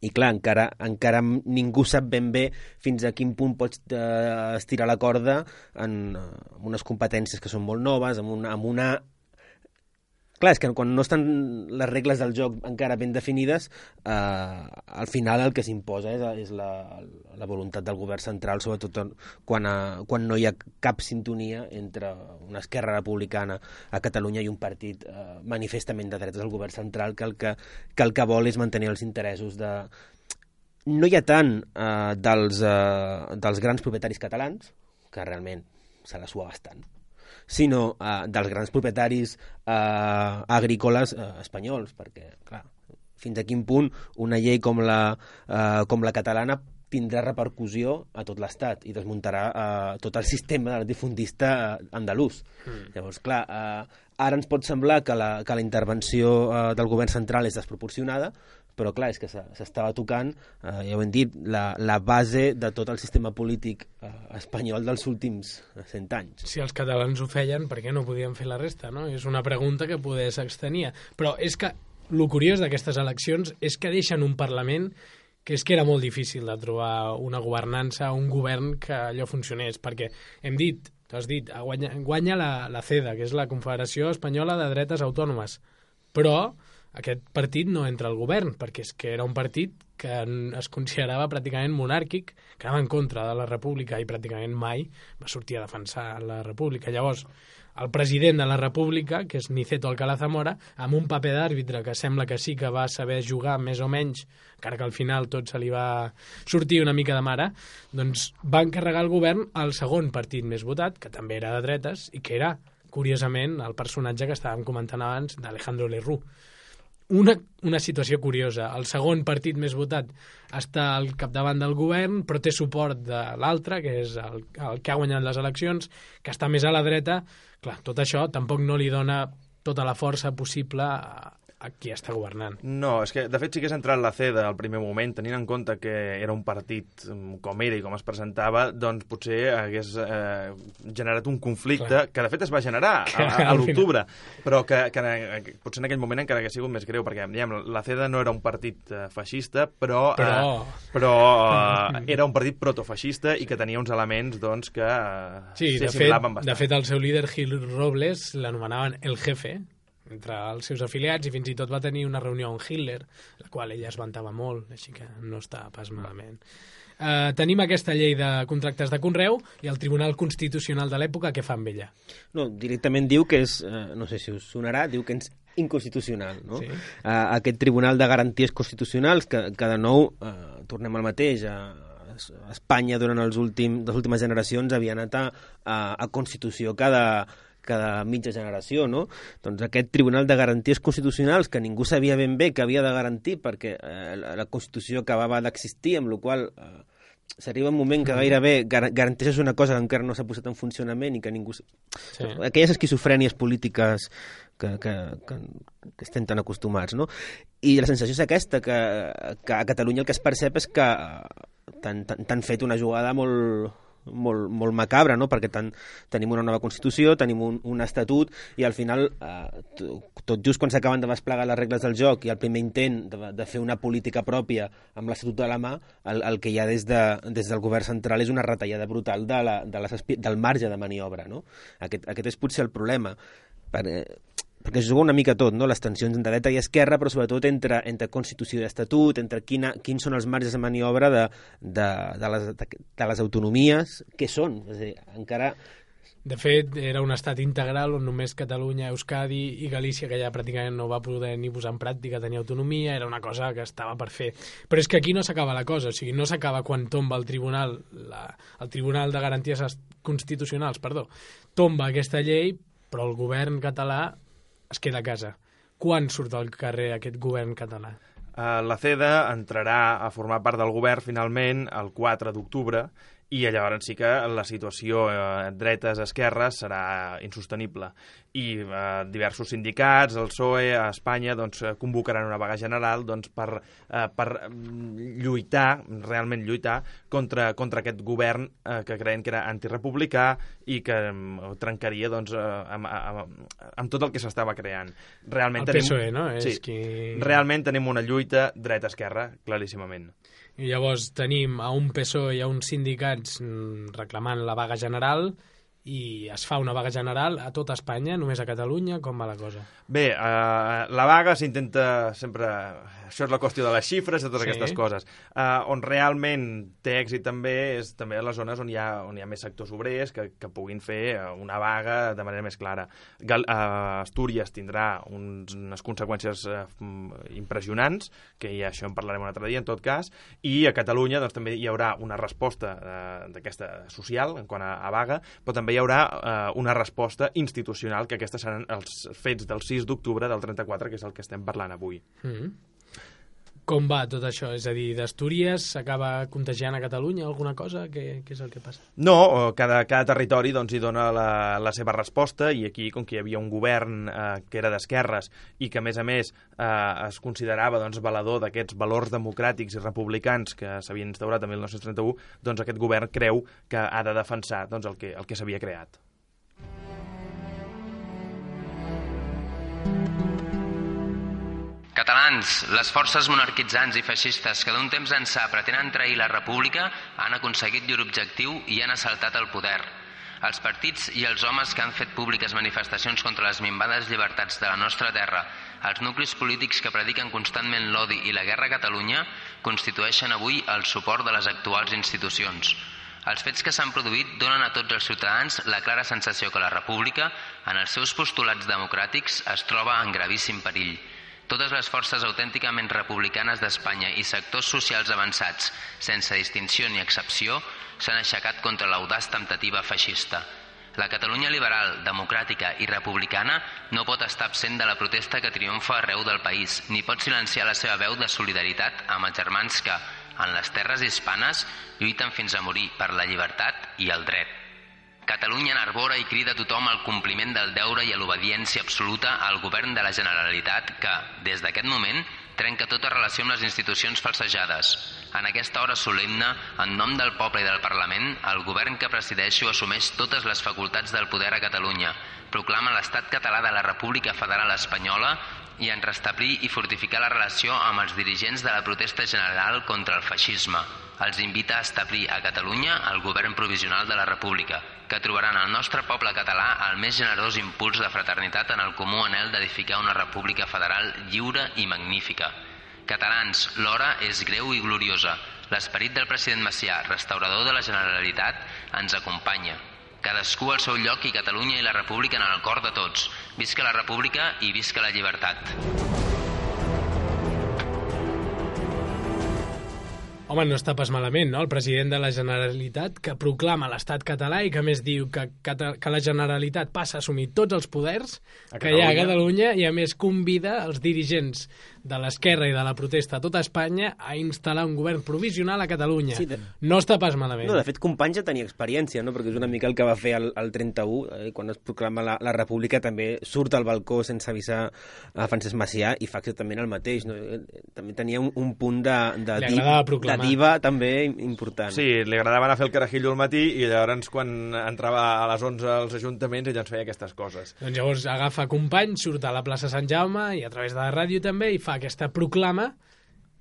I clar, encara, encara ningú sap ben bé fins a quin punt pots uh, estirar la corda en, uh, amb unes competències que són molt noves, amb una, amb una clar, és que quan no estan les regles del joc encara ben definides, eh, al final el que s'imposa és, és la, la voluntat del govern central, sobretot quan, a, quan no hi ha cap sintonia entre una esquerra republicana a Catalunya i un partit eh, manifestament de dretes del govern central que el que, que el que vol és mantenir els interessos de... No hi ha tant eh, dels, eh, dels grans propietaris catalans, que realment se la sua bastant, sinó uh, dels grans propietaris uh, agrícoles uh, espanyols, perquè, clar, fins a quin punt una llei com la, uh, com la catalana tindrà repercussió a tot l'Estat i desmuntarà uh, tot el sistema latifundista uh, andalús. Mm. Llavors, clar, uh, ara ens pot semblar que la, que la intervenció uh, del govern central és desproporcionada, però clar, és que s'estava tocant, eh, ja ho hem dit, la, la base de tot el sistema polític eh, espanyol dels últims cent anys. Si els catalans ho feien, per què no podien fer la resta, no? És una pregunta que poder s'extenia. Però és que el curiós d'aquestes eleccions és que deixen un Parlament que és que era molt difícil de trobar una governança, un govern que allò funcionés, perquè hem dit, tu has dit, guanya, guanya la, la CEDA, que és la Confederació Espanyola de Dretes Autònomes, però aquest partit no entra al govern, perquè és que era un partit que es considerava pràcticament monàrquic, que anava en contra de la República i pràcticament mai va sortir a defensar la República. Llavors, el president de la República, que és Niceto Alcalá Zamora, amb un paper d'àrbitre que sembla que sí que va saber jugar més o menys, encara que al final tot se li va sortir una mica de mare, doncs va encarregar el govern al segon partit més votat, que també era de dretes, i que era, curiosament, el personatge que estàvem comentant abans d'Alejandro Lerroux. Una, una situació curiosa. El segon partit més votat està al capdavant del govern, però té suport de l'altre, que és el, el que ha guanyat les eleccions, que està més a la dreta. Clar, tot això tampoc no li dona tota la força possible a, a qui està governant. No, és que de fet sí que és entrat la CEDA al primer moment, tenint en compte que era un partit com era i com es presentava, doncs potser hagués eh, generat un conflicte, clar, que de fet es va generar a, a, a l'octubre, però que, que, que potser en aquell moment encara hagués sigut més greu, perquè diguem, la CEDA no era un partit eh, feixista, però, però... Eh, però eh, era un partit protofeixista i que tenia uns elements doncs, que eh, sí, s'assimilaven bastant. De fet, el seu líder, Gil Robles, l'anomenaven el jefe entre els seus afiliats i fins i tot va tenir una reunió amb Hitler, la qual ella es vantava molt, així que no està pas malament. Uh, tenim aquesta llei de contractes de conreu i el Tribunal Constitucional de l'època, què fa amb ella? No, directament diu que és, uh, no sé si us sonarà, diu que és inconstitucional, no? Sí. Uh, aquest Tribunal de Garanties Constitucionals, que, que de nou, uh, tornem al mateix, uh, Espanya durant els últims, les últimes generacions havia anat a, a, a Constitució cada cada mitja generació, no? Doncs aquest Tribunal de Garanties Constitucionals, que ningú sabia ben bé que havia de garantir perquè eh, la Constitució acabava d'existir, amb la qual eh, s'arriba un moment que gairebé gar garanteixes una cosa que encara no s'ha posat en funcionament i que ningú... Sí. Aquelles esquizofrènies polítiques que, que, que, que estem tan acostumats, no? I la sensació és aquesta, que, que a Catalunya el que es percep és que t'han fet una jugada molt... molt, molt macabra, no? Perquè tan, tenim una nova Constitució, tenim un, un estatut i al final, eh, tot just quan s'acaben de desplegar les regles del joc i el primer intent de, de fer una política pròpia amb l'estatut a la mà, el, el que hi ha des, de, des del govern central és una retallada brutal de la, de les, del marge de maniobra, no? Aquest, aquest és potser el problema. Per, eh, perquè es juga una mica tot, no? Les tensions entre dreta i esquerra, però sobretot entre, entre Constitució i Estatut, entre quina, quins són els marges de maniobra de, de, de, les, de, de les autonomies, què són? És a dir, encara De fet, era un estat integral on només Catalunya, Euskadi i Galícia, que ja pràcticament no va poder ni posar en pràctica, tenia autonomia, era una cosa que estava per fer. Però és que aquí no s'acaba la cosa, o sigui, no s'acaba quan tomba el Tribunal, la, el Tribunal de Garanties Constitucionals, perdó, tomba aquesta llei, però el govern català es queda a casa. Quan surt al carrer aquest govern català? Uh, la CEDA entrarà a formar part del govern finalment el quatre d'octubre i llavors sí que la situació eh, dretes-esquerres serà insostenible. I eh, diversos sindicats, el P S O E, a Espanya, doncs, convocaran una vaga general doncs, per, eh, per lluitar, realment lluitar, contra, contra aquest govern eh, que creien que era antirepublicà i que eh, trencaria doncs, eh, amb, amb, amb tot el que s'estava creant. Realment el tenim, P S O E, no? Sí, és qui... realment tenim una lluita dreta-esquerra, claríssimament. I llavors tenim a un P S O E i a uns sindicats reclamant la vaga general i es fa una vaga general a tota Espanya, només a Catalunya, com va la cosa? Bé, eh, la vaga s'intenta sempre... Això és la qüestió de les xifres, de totes sí. aquestes coses. Uh, on realment té èxit també és també a les zones on hi ha, on hi ha més sectors obrers que, que puguin fer una vaga de manera més clara. Gal, uh, Astúries tindrà uns, unes conseqüències uh, impressionants, que ja això en parlarem un altre dia, en tot cas, i a Catalunya doncs, també hi haurà una resposta uh, d'aquesta social, en quant a, a vaga, però també hi haurà uh, una resposta institucional, que aquestes seran els fets del sis d'octubre del trenta-quatre, que és el que estem parlant avui. Mm-hmm. Com va tot això? És a dir, d'Astúries s'acaba contagiant a Catalunya alguna cosa? Què, què és el que passa? No, cada, cada territori doncs, hi dona la, la seva resposta i aquí, com que hi havia un govern eh, que era d'esquerres i que, a més a més, eh, es considerava doncs, valedor d'aquests valors democràtics i republicans que s'havien instaurat en mil nou-cents trenta-u, doncs aquest govern creu que ha de defensar doncs, el que, el que s'havia creat. Catalans, les forces monarquitzants i feixistes que d'un temps ençà pretenen trair la república han aconseguit llur objectiu i han assaltat el poder. Els partits i els homes que han fet públiques manifestacions contra les minvades llibertats de la nostra terra, els nuclis polítics que prediquen constantment l'odi i la guerra a Catalunya, constitueixen avui el suport de les actuals institucions. Els fets que s'han produït donen a tots els ciutadans la clara sensació que la república, en els seus postulats democràtics, es troba en gravíssim perill. Totes les forces autènticament republicanes d'Espanya i sectors socials avançats, sense distinció ni excepció, s'han aixecat contra l'audaç temptativa feixista. La Catalunya liberal, democràtica i republicana no pot estar absent de la protesta que triomfa arreu del país, ni pot silenciar la seva veu de solidaritat amb els germans que, en les terres hispanes, lluiten fins a morir per la llibertat i el dret. Catalunya enarbora i crida a tothom al compliment del deure i a l'obediència absoluta al govern de la Generalitat que, des d'aquest moment, trenca tota relació amb les institucions falsejades. En aquesta hora solemne, en nom del poble i del Parlament, el govern que presideixo assumeix totes les facultats del poder a Catalunya, proclama l'estat català de la República Federal Espanyola i en restablir i fortificar la relació amb els dirigents de la protesta general contra el feixisme. Els invita a establir a Catalunya el govern provisional de la República, que trobaran al nostre poble català el més generós impuls de fraternitat en el comú anhel d'edificar una república federal lliure i magnífica. Catalans, l'hora és greu i gloriosa. L'esperit del president Macià, restaurador de la Generalitat, ens acompanya. Cadascú al seu lloc i Catalunya i la República en el cor de tots. Visca la República i visca la llibertat. Home, no està pas malament, no? El president de la Generalitat que proclama l'estat català i que a més diu que, que la Generalitat passa a assumir tots els poders que hi ha a Catalunya i a més convida els dirigents de l'esquerra i de la protesta a tota Espanya a instal·lar un govern provisional a Catalunya. Sí, de... No està pas malament. No, de fet, Companys ja tenia experiència, no? Perquè és una mica el que va fer el, el trenta-u, eh, quan es proclama la, la República, també surt al balcó sense avisar a Francesc Macià i fa exactament el mateix. No? També tenia un, un punt de, de, div, de diva també important. Sí, li agradava anar a fer el carajillo al matí i llavors quan entrava a les onze als ajuntaments ella ens feia aquestes coses. Doncs llavors agafa Companys, surt a la plaça Sant Jaume i a través de la ràdio també i fa aquesta proclama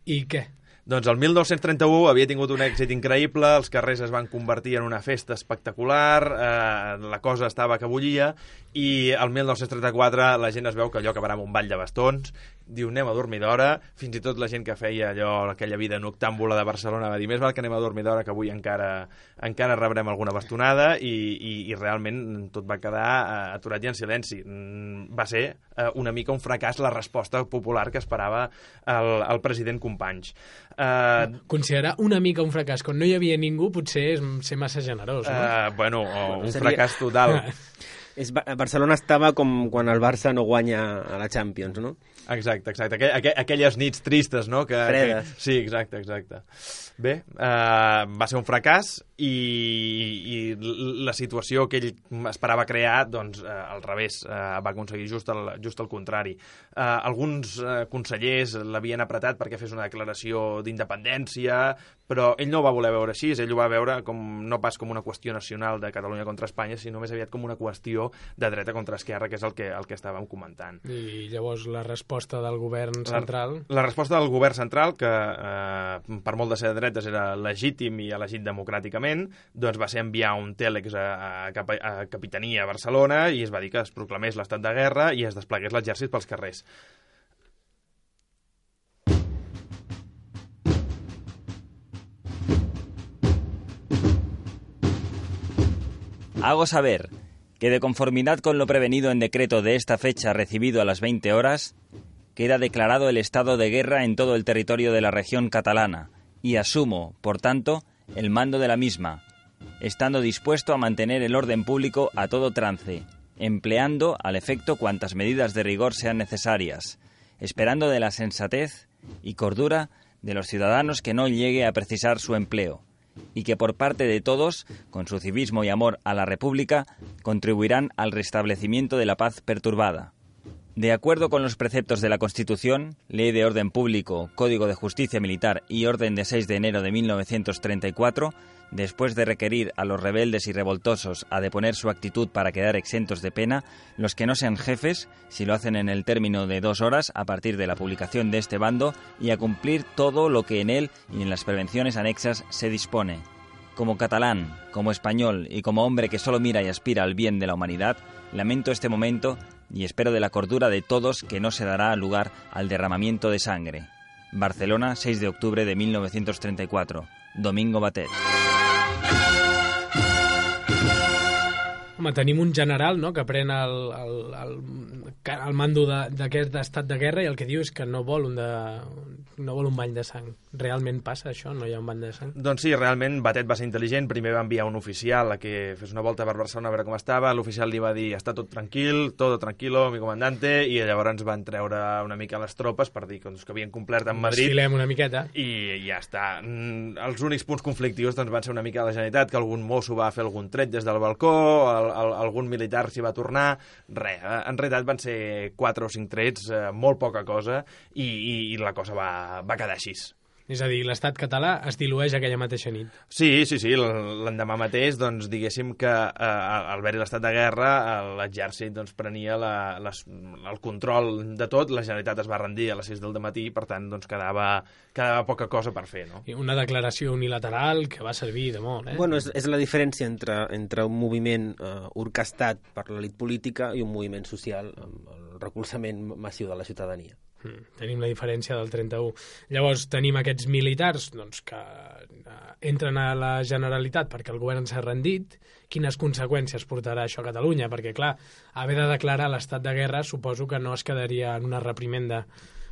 i què? Doncs el mil nou-cents trenta-u havia tingut un èxit increïble, els carrers es van convertir en una festa espectacular, eh, la cosa estava que bullia, i el mil nou-cents trenta-quatre la gent es veu que allò acabarà amb un ball de bastons, diu anem a dormir d'hora, fins i tot la gent que feia allò, aquella vida noctàmbula de Barcelona va dir més val que anem a dormir d'hora que avui encara, encara rebrem alguna bastonada, i, i, i realment tot va quedar eh, aturat i en silenci. Mm, va ser eh, una mica un fracàs la resposta popular que esperava el, el president Companys. Eh, Considerar una mica un fracàs quan no hi havia ningú potser és ser massa generós, no? eh, bueno, o un seria- fracàs total. És, Ba- Barcelona estava com quan el Barça no guanya a la Champions, no? Exacte, exacte. Aquell, aqu aquelles nits tristes, no? Que, Fredes. Que... Sí, exacte, exacte. Bé, eh, va ser un fracàs i, i la situació que ell esperava crear, doncs, eh, al revés, eh, va aconseguir just el, just el contrari. Eh, alguns eh, consellers l'havien apretat perquè fes una declaració d'independència, però ell no ho va voler veure així, ell ho va veure com, no pas com una qüestió nacional de Catalunya contra Espanya, sinó més aviat com una qüestió de dreta contra esquerra, que és el que, el que estàvem comentant. I llavors la resposta del govern central... La, la resposta del govern central, que eh, per molt de ser de dretes era legítim i elegit democràticament, doncs va ser enviar un tèlex a, a, cap- a Capitania a Barcelona i es va dir que es proclamés l'estat de guerra i es desplegués l'exèrcit pels carrers. Hago saber que, de conformidad con lo prevenido en decreto de esta fecha recibido a las veinte horas, queda declarado el estado de guerra en todo el territorio de la región catalana y asumo, por tanto, el mando de la misma, estando dispuesto a mantener el orden público a todo trance, empleando al efecto cuantas medidas de rigor sean necesarias, esperando de la sensatez y cordura de los ciudadanos que no llegue a precisar su empleo, y que por parte de todos, con su civismo y amor a la República, contribuirán al restablecimiento de la paz perturbada. De acuerdo con los preceptos de la Constitución, Ley de Orden Público, Código de Justicia Militar y Orden de seis de enero de mil novecientos treinta y cuatro, después de requerir a los rebeldes y revoltosos a deponer su actitud para quedar exentos de pena, los que no sean jefes, si lo hacen en el término de dos horas a partir de la publicación de este bando, y a cumplir todo lo que en él y en las prevenciones anexas se dispone. Como catalán, como español y como hombre que solo mira y aspira al bien de la humanidad, lamento este momento y espero de la cordura de todos que no se dará lugar al derramamiento de sangre. Barcelona, seis de octubre de mil novecientos treinta y cuatro. Domingo Batet. Home, tenim un general, no?, que pren el, el, el, el mando d'aquest estat de guerra i el que diu és que no vol un, de, no vol un bany de sang. Realment passa això? No hi ha un bany de sang? Doncs sí, realment Batet va ser intel·ligent. Primer va enviar un oficial a que fes una volta per Barcelona a veure com estava. L'oficial li va dir, està tot tranquil, todo tranquilo, mi comandante, i llavors van treure una mica les tropes per dir doncs, que havien complert amb Madrid. Desfilem una miqueta. I ja està. Mm, Els únics punts conflictius doncs, van ser una mica la Generalitat, que algun mosso va fer algun tret des del balcó, el, el, algun militar s'hi va tornar. Res, en realitat van ser quatre o cinc trets, eh, molt poca cosa, i, i, i la cosa va, va quedar així. És a dir, l'estat català es dilueix aquella mateixa nit. Sí, sí, sí, l'endemà mateix, doncs, diguéssim que eh, al haver-hi l'estat de guerra, l'exèrcit doncs, prenia la, les, el control de tot, la Generalitat es va rendir a les sis del matí, per tant, doncs, quedava, quedava poca cosa per fer, no? I una declaració unilateral que va servir de molt, eh? Bueno, és, és la diferència entre, entre un moviment eh, orquestat per l'elit política i un moviment social amb el recolzament massiu de la ciutadania. Mm, tenim la diferència del trenta-u. Llavors tenim aquests militars doncs, que eh, entren a la Generalitat perquè el govern s'ha rendit. Quines conseqüències portarà això a Catalunya? Perquè, clar, haver de declarar l'estat de guerra suposo que no es quedaria en una reprimenda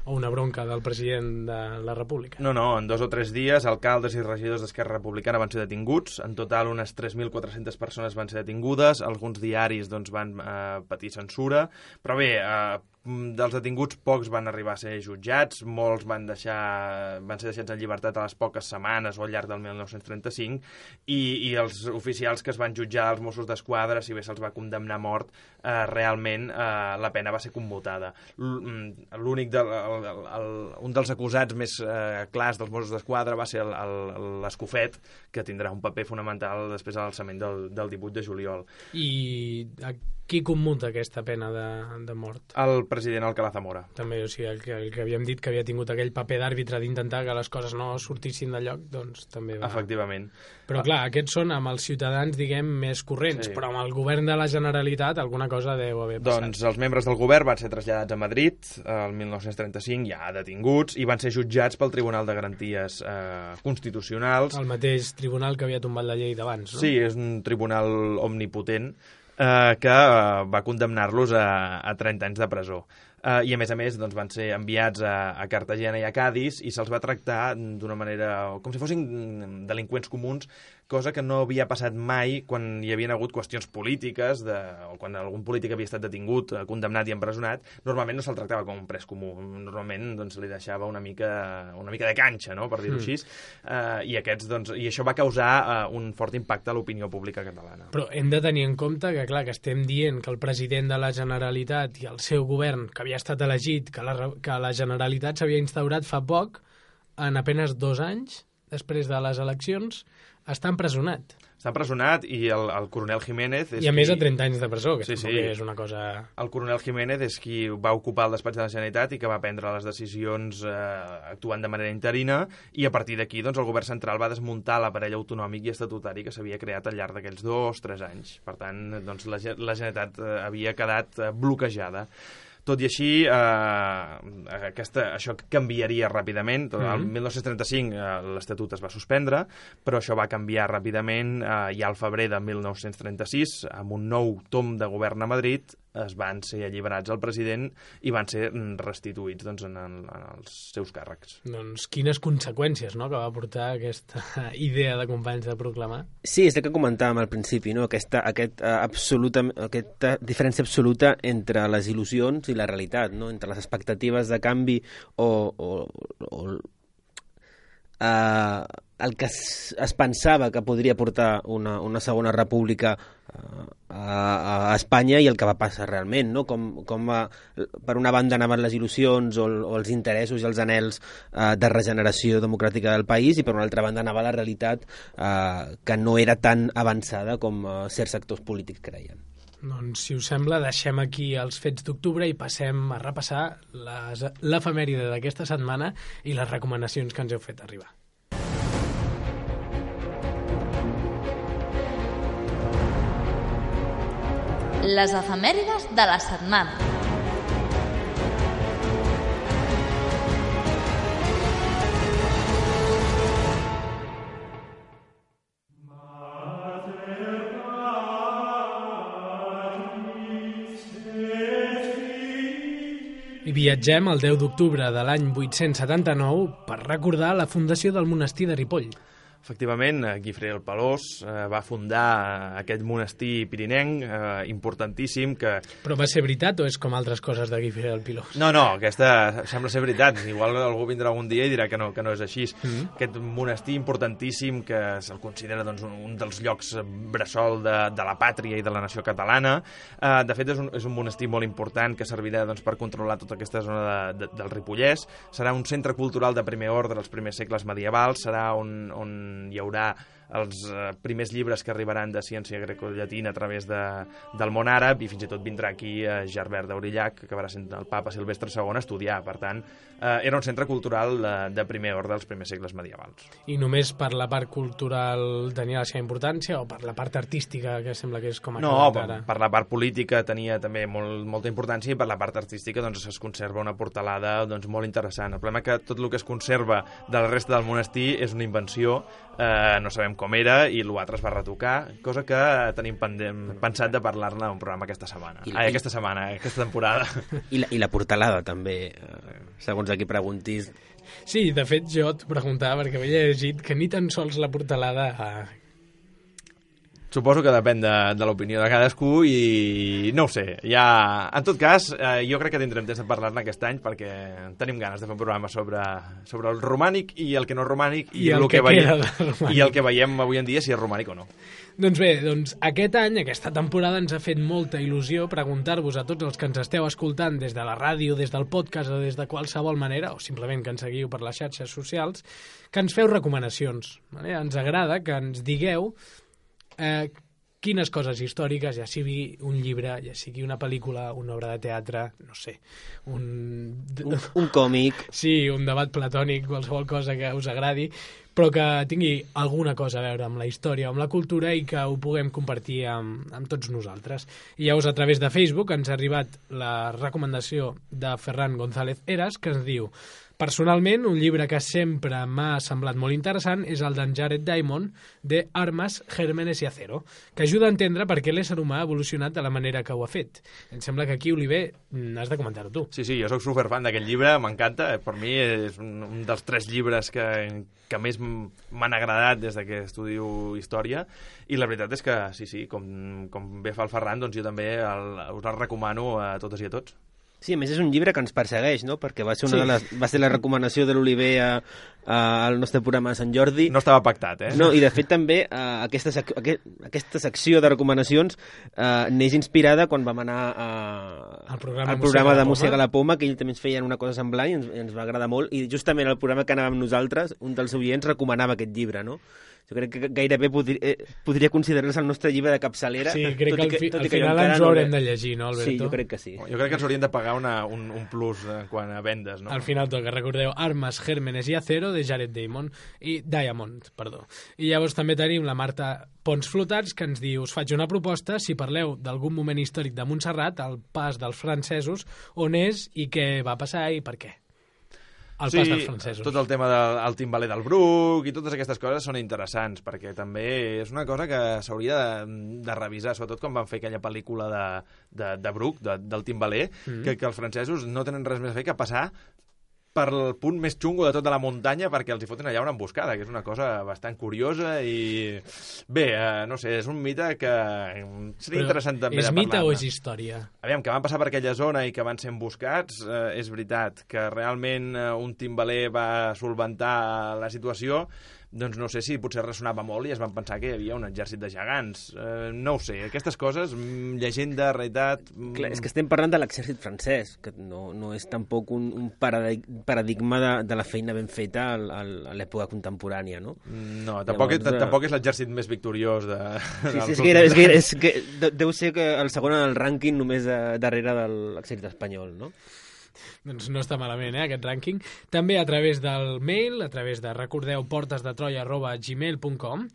o una bronca del president de la República. No, no, en dos o tres dies alcaldes i regidors d'Esquerra Republicana van ser detinguts, en total unes tres mil quatre-centes persones van ser detingudes, alguns diaris doncs, van eh, patir censura, però bé, eh, dels detinguts pocs van arribar a ser jutjats, molts van, deixar, van ser deixats en llibertat a les poques setmanes o al llarg del mil nou-cents trenta-cinc, i, i els oficials que es van jutjar, els Mossos d'Esquadra, si bé se'ls va condemnar a mort, eh, realment eh, la pena va ser commutada. L'únic de, el, el, el, un dels acusats més eh, clars dels Mossos d'Esquadra va ser l'Escofet, que tindrà un paper fonamental després de l'alçament del, del divuit de juliol. I a qui commuta aquesta pena de, de mort? El expresident Alcalá Zamora. També, o sigui, el que, el que havíem dit que havia tingut aquell paper d'àrbitre d'intentar que les coses no sortissin de lloc, doncs també va... Efectivament. Però clar, aquests són amb els ciutadans, diguem, més corrents, sí. Però amb el govern de la Generalitat alguna cosa deu haver passat. Doncs els membres del govern van ser traslladats a Madrid el mil nou-cents trenta-cinc, ja detinguts, i van ser jutjats pel Tribunal de Garanties eh, Constitucionals. El mateix tribunal que havia tombat la llei d'abans, no? Sí, és un tribunal omnipotent eh, que eh, va condemnar-los a, a trenta anys de presó. Uh, i a més a més doncs, van ser enviats a, a Cartagena i a Cádiz i se'ls va tractar d'una manera com si fossin delinqüents comuns, cosa que no havia passat mai quan hi havien hagut qüestions polítiques de, o quan algun polític havia estat detingut, condemnat i empresonat. Normalment no se'l tractava com un pres comú, normalment doncs, li deixava una mica, una mica de canxa, no? Per dir-ho mm. així, uh, i, aquests, doncs, i això va causar uh, un fort impacte a l'opinió pública catalana. Però hem de tenir en compte que, clar, que estem dient que el president de la Generalitat i el seu govern, que havia estat elegit, que la, que la Generalitat s'havia instaurat fa poc, en apenas dos anys, després de les eleccions, està empresonat. Està empresonat i el, el coronel Jiménez... És I a qui... més de trenta anys de presó, que sí, tampoc sí. és una cosa... El coronel Jiménez és qui va ocupar el despatx de la Generalitat i que va prendre les decisions eh, actuant de manera interina, i a partir d'aquí doncs, el govern central va desmuntar l'aparell autonòmic i estatutari que s'havia creat al llarg d'aquells dos, tres anys. Per tant, doncs, la, la Generalitat eh, havia quedat eh, bloquejada. Tot i així, eh, aquesta, això canviaria ràpidament. El Mm-hmm. mil nou-cents trenta-cinc eh, l'Estatut es va suspendre, però això va canviar ràpidament eh, ja al febrer de mil nou-cents trenta-sis, amb un nou tom de govern a Madrid, es van ser alliberats el president i van ser restituïts doncs, en, en, en els seus càrrecs. Doncs quines conseqüències, no?, que va portar aquesta idea de companys de proclamar. Sí, és el que comentàvem al principi, no? Aquesta, aquest, uh, absoluta, aquesta diferència absoluta entre les il·lusions i la realitat, no? Entre les expectatives de canvi o, o, o uh, el que es, es pensava que podria portar una, una segona república uh, a, a Espanya i el que va passar realment, no? Com, com va, per una banda anaven les il·lusions o, o els interessos i els anhels uh, de regeneració democràtica del país, i per una altra banda anava la realitat uh, que no era tan avançada com uh, certs sectors polítics creien. Doncs, si us sembla, deixem aquí els fets d'octubre i passem a repassar les, l'efemèride d'aquesta setmana i les recomanacions que ens heu fet arribar. Les efemèrides de la setmana. I viatgem el deu d'octubre de l'any vuit-cents setanta-nou per recordar la fundació del monestir de Ripoll. Efectivament, Guifré el Pelós eh, va fundar aquest monestir pirinenc eh, importantíssim que... Però va ser veritat o és com altres coses de Guifré el Pelós? No, no, aquesta sembla ser veritat. Igual algú vindrà algun dia i dirà que no, que no és així. Mm-hmm. Aquest monestir importantíssim que se'l considera doncs, un, un dels llocs bressol de, de la pàtria i de la nació catalana. Eh, de fet, és un, és un monestir molt important que servirà doncs, per controlar tota aquesta zona de, de, del Ripollès. Serà un centre cultural de primer ordre dels primers segles medievals. Serà on... on hi haurà els eh, primers llibres que arribaran de ciència grecollatina a través de, del món àrab, i fins i tot vindrà aquí eh, Gerbert d'Aurillac, que acabarà sent el papa Silvestre segon, a estudiar. Per tant, eh, era un centre cultural de, de primer ordre dels primers segles medievals. I només per la part cultural tenia la seva importància, o per la part artística, que sembla que és com a no, per, ara? per la part política tenia també molt, molta importància, i per la part artística doncs, es conserva una portalada doncs, molt interessant. El problema és que tot el que es conserva de la resta del monestir és una invenció, eh, no sabem com era, i l'altre es va retocar, cosa que tenim pendent, pensat de parlar-ne a un programa aquesta setmana. I, Ai, aquesta setmana, aquesta temporada. I la, i la portalada, també, segons a qui preguntis. Sí, de fet, jo et preguntava, perquè havia llegit que ni tan sols la portalada... Suposo que depèn de, de l'opinió de cadascú i no ho sé. Ja... En tot cas, eh, jo crec que tindrem temps de parlar-ne aquest any perquè tenim ganes de fer un programa sobre, sobre el romànic i el que no és romànic i, I el, el que, que veiem, i el que veiem avui en dia, si és romànic o no. Doncs bé, doncs aquest any, aquesta temporada, ens ha fet molta il·lusió preguntar-vos a tots els que ens esteu escoltant des de la ràdio, des del podcast o des de qualsevol manera, o simplement que ens seguiu per les xarxes socials, que ens feu recomanacions. Vale? Ens agrada que ens digueu Eh, quines coses històriques, ja sigui un llibre, ja sigui una pel·lícula, una obra de teatre, no sé, un... Un, un còmic. Sí, un debat platònic, qualsevol cosa que us agradi, però que tingui alguna cosa a veure amb la història, amb la cultura i que ho puguem compartir amb, amb tots nosaltres. I llavors, a través de Facebook, ens ha arribat la recomanació de Ferran González Heras, que ens diu: personalment, un llibre que sempre m'ha semblat molt interessant és el d'en Jared Diamond, de Armes, Gérmenes y Acero, que ajuda a entendre per què l'ésser humà ha evolucionat de la manera que ho ha fet. Em sembla que aquí, Oliver, has de comentar-ho tu. Sí, sí, jo sóc superfan d'aquest llibre, m'encanta. Per mi és un, un dels tres llibres que, que més m'han agradat des que estudio història, i la veritat és que, sí, sí, com, com bé fa el Ferran, doncs jo també el, us el recomano a totes i a tots. Sí, a més és un llibre que ens persegueix, no? Perquè va ser, una Sí. de les, va ser la recomanació de l'Oliver a, a, al nostre programa de Sant Jordi. No estava pactat, eh? No, i de fet també eh, aquesta, sec aquest, aquesta secció de recomanacions eh, neix inspirada quan vam anar a, Al programa al programa Mossega de la Mossega Poma. la Poma, que ells també ens feien una cosa semblant i ens, i ens va agradar molt, i justament al programa que anàvem nosaltres, un dels oients recomanava aquest llibre, no? Jo crec que gairebé podria, eh, podria considerar-se el nostre llibre de capçalera. Sí, crec tot que i al, fi, tot al i que jo final encara ens ho no haurem l'he- de llegir, no, Alberto? Sí, jo crec que sí. Jo crec que ens haurien de pagar una, un, un plus en quant a vendes, no? Al final toca, recordeu, Armes, Gérmenes y Acero, de Jared Diamond, i Diamond, perdó. I llavors també tenim la Marta Pons Flotats, que ens diu: us faig una proposta si parleu d'algun moment històric de Montserrat, el pas dels francesos, on és i què va passar i per què. El Sí, pas dels francesos. tot el tema del el timbaler del Bruc i totes aquestes coses són interessants, perquè també és una cosa que s'hauria de, de revisar, sobretot quan van fer aquella pel·lícula de, de, de Bruc, de, del timbaler, mm. que, que els francesos no tenen res més a fer que passar per el punt més xungo de tota la muntanya perquè els hi foten allà una emboscada, que és una cosa bastant curiosa i... Bé, eh, no sé, és un mite que seria Però interessant també és de mite parlar-ne. o és història? Aviam, que van passar per aquella zona i que van ser emboscats, eh, és veritat. Que realment eh, un timbaler va solventar la situació, doncs no sé si potser ressonava molt i es van pensar que hi havia un exèrcit de gegants. Eh, no ho sé, aquestes coses, mm, llegenda, realitat... Mm... Clar, és que estem parlant de l'exèrcit francès, que no, no és tampoc un, un paradig paradigma de, de la feina ben feta al, al, a l'època contemporània, no? No, tampoc, Llavors, Llavors, tampoc és l'exèrcit més victoriós de... Sí, sí, és que, era, és que, és que de- deu ser que el segon en el rànquing només a, darrere de l'exèrcit espanyol, no? Doncs no està malament, eh, aquest rànquing. També a través del mail, a través de, recordeu, portesdetroia arroba gmail punt com,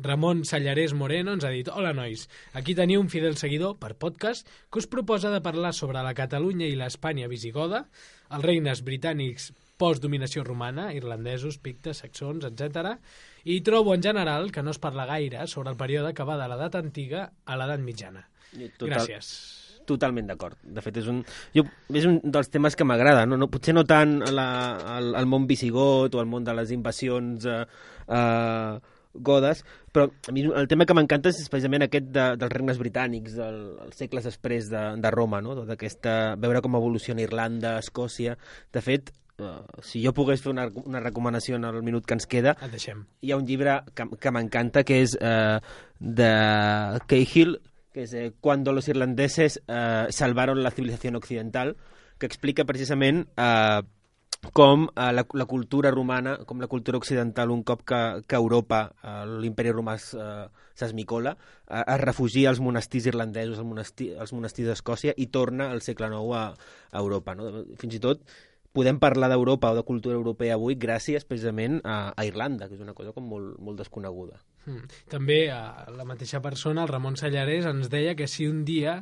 Ramon Sallarés Moreno ens ha dit: hola, nois, aquí teniu un fidel seguidor per podcast que us proposa de parlar sobre la Catalunya i l'Espanya visigoda, els regnes britànics post-dominació romana, irlandesos, pictes, saxons, etcètera. I trobo en general que no es parla gaire sobre el període que va de l'edat antiga a l'edat mitjana. Total, Gràcies. Totalment d'acord. De fet, és un, jo, és un dels temes que m'agrada. No? No, potser no tant la, el, el món visigot o el món de les invasions eh, eh, godes, però a mi el tema que m'encanta és precisament aquest de, dels regnes britànics, del, els segles després de, de Roma, no? Tota aquesta, veure com evoluciona Irlanda, Escòcia. De fet, uh, si jo pogués fer una, una recomanació en el minut que ens queda, Et deixem. hi ha un llibre que, que m'encanta, que és uh, de Cahill, que és eh, Cuando los irlandeses eh, salvaron la civilización occidental, que explica precisament eh, com eh, la, la cultura romana, com la cultura occidental, un cop que, que Europa, eh, l'imperi romà eh, s'esmicola, eh, es refugia als monestirs irlandesos, als monestirs, als monestirs d'Escòcia, i torna al segle nou a, a Europa. No? Fins i tot podem parlar d'Europa o de cultura europea avui gràcies precisament a, a Irlanda, que és una cosa com molt, molt desconeguda. Mm. També eh, la mateixa persona, el Ramon Sallarés, ens deia que si un dia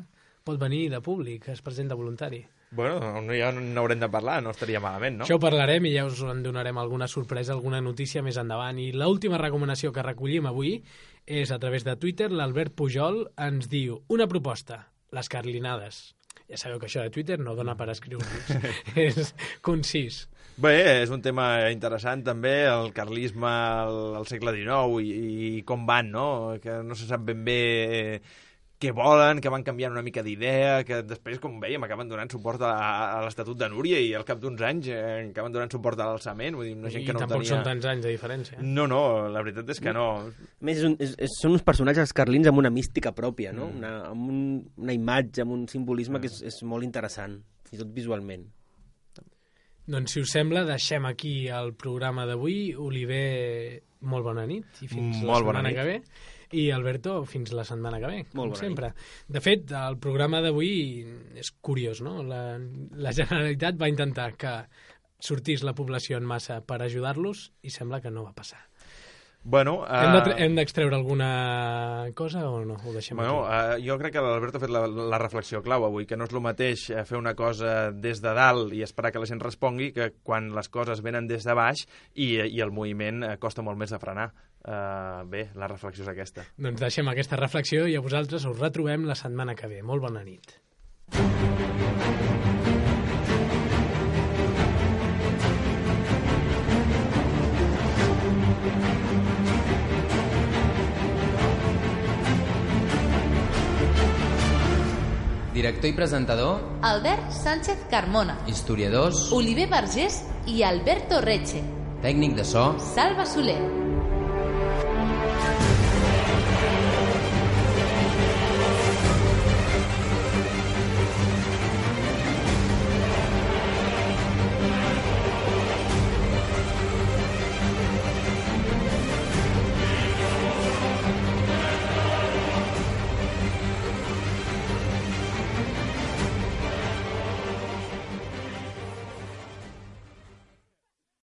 pot venir de públic, es presenta voluntari. Bueno, ja n'haurem de parlar, no estaria malament, no? Això ho parlarem i ja us en donarem alguna sorpresa, alguna notícia més endavant. I l'última recomanació que recollim avui és a través de Twitter. L'Albert Pujol ens diu: una proposta, les carlinades. Ja sabeu que això de Twitter no dona per escriure-nos. És concís. Bé, és un tema interessant també, el carlisme al, al segle dinou i, i com van, no? Que no se sap ben bé què volen, que van canviant una mica d'idea, que després, com veiem, acaben donant suport a, a l'Estatut de Núria i al cap d'uns anys eh, acaben donant suport a l'alçament. Vull dir, una gent I que no tampoc tenia... són tants anys de diferència. No, no, la veritat és que no. A més, és un, és, és, són uns personatges carlins amb una mística pròpia, no? Mm. Una, amb un, una imatge, amb un simbolisme mm. que és, és molt interessant, fins i tot visualment. Doncs, si us sembla, deixem aquí el programa d'avui. Oliver, molt bona nit i fins Molt la bona setmana nit. que ve. I Alberto, fins la setmana que ve, com Molt bona sempre. De fet, el programa d'avui és curiós, no? La, la Generalitat va intentar que sortís la població en massa per ajudar-los i sembla que no va passar. Bueno, uh... Hem de- hem d'extreure alguna cosa o no? Ho deixem Bueno, aquí? uh, jo crec que l'Alberto ha fet la, la reflexió clau avui, que no és el mateix eh, fer una cosa des de dalt i esperar que la gent respongui que quan les coses venen des de baix i, i el moviment eh, costa molt més de frenar. Uh, bé, la reflexió és aquesta. Doncs deixem aquesta reflexió i a vosaltres us retrobem la setmana que ve. Molt bona nit. Director i presentador, Albert Sánchez Carmona, historiadors, Oliver Vergés i Alberto Reche. tècnic de so, Salva Soler.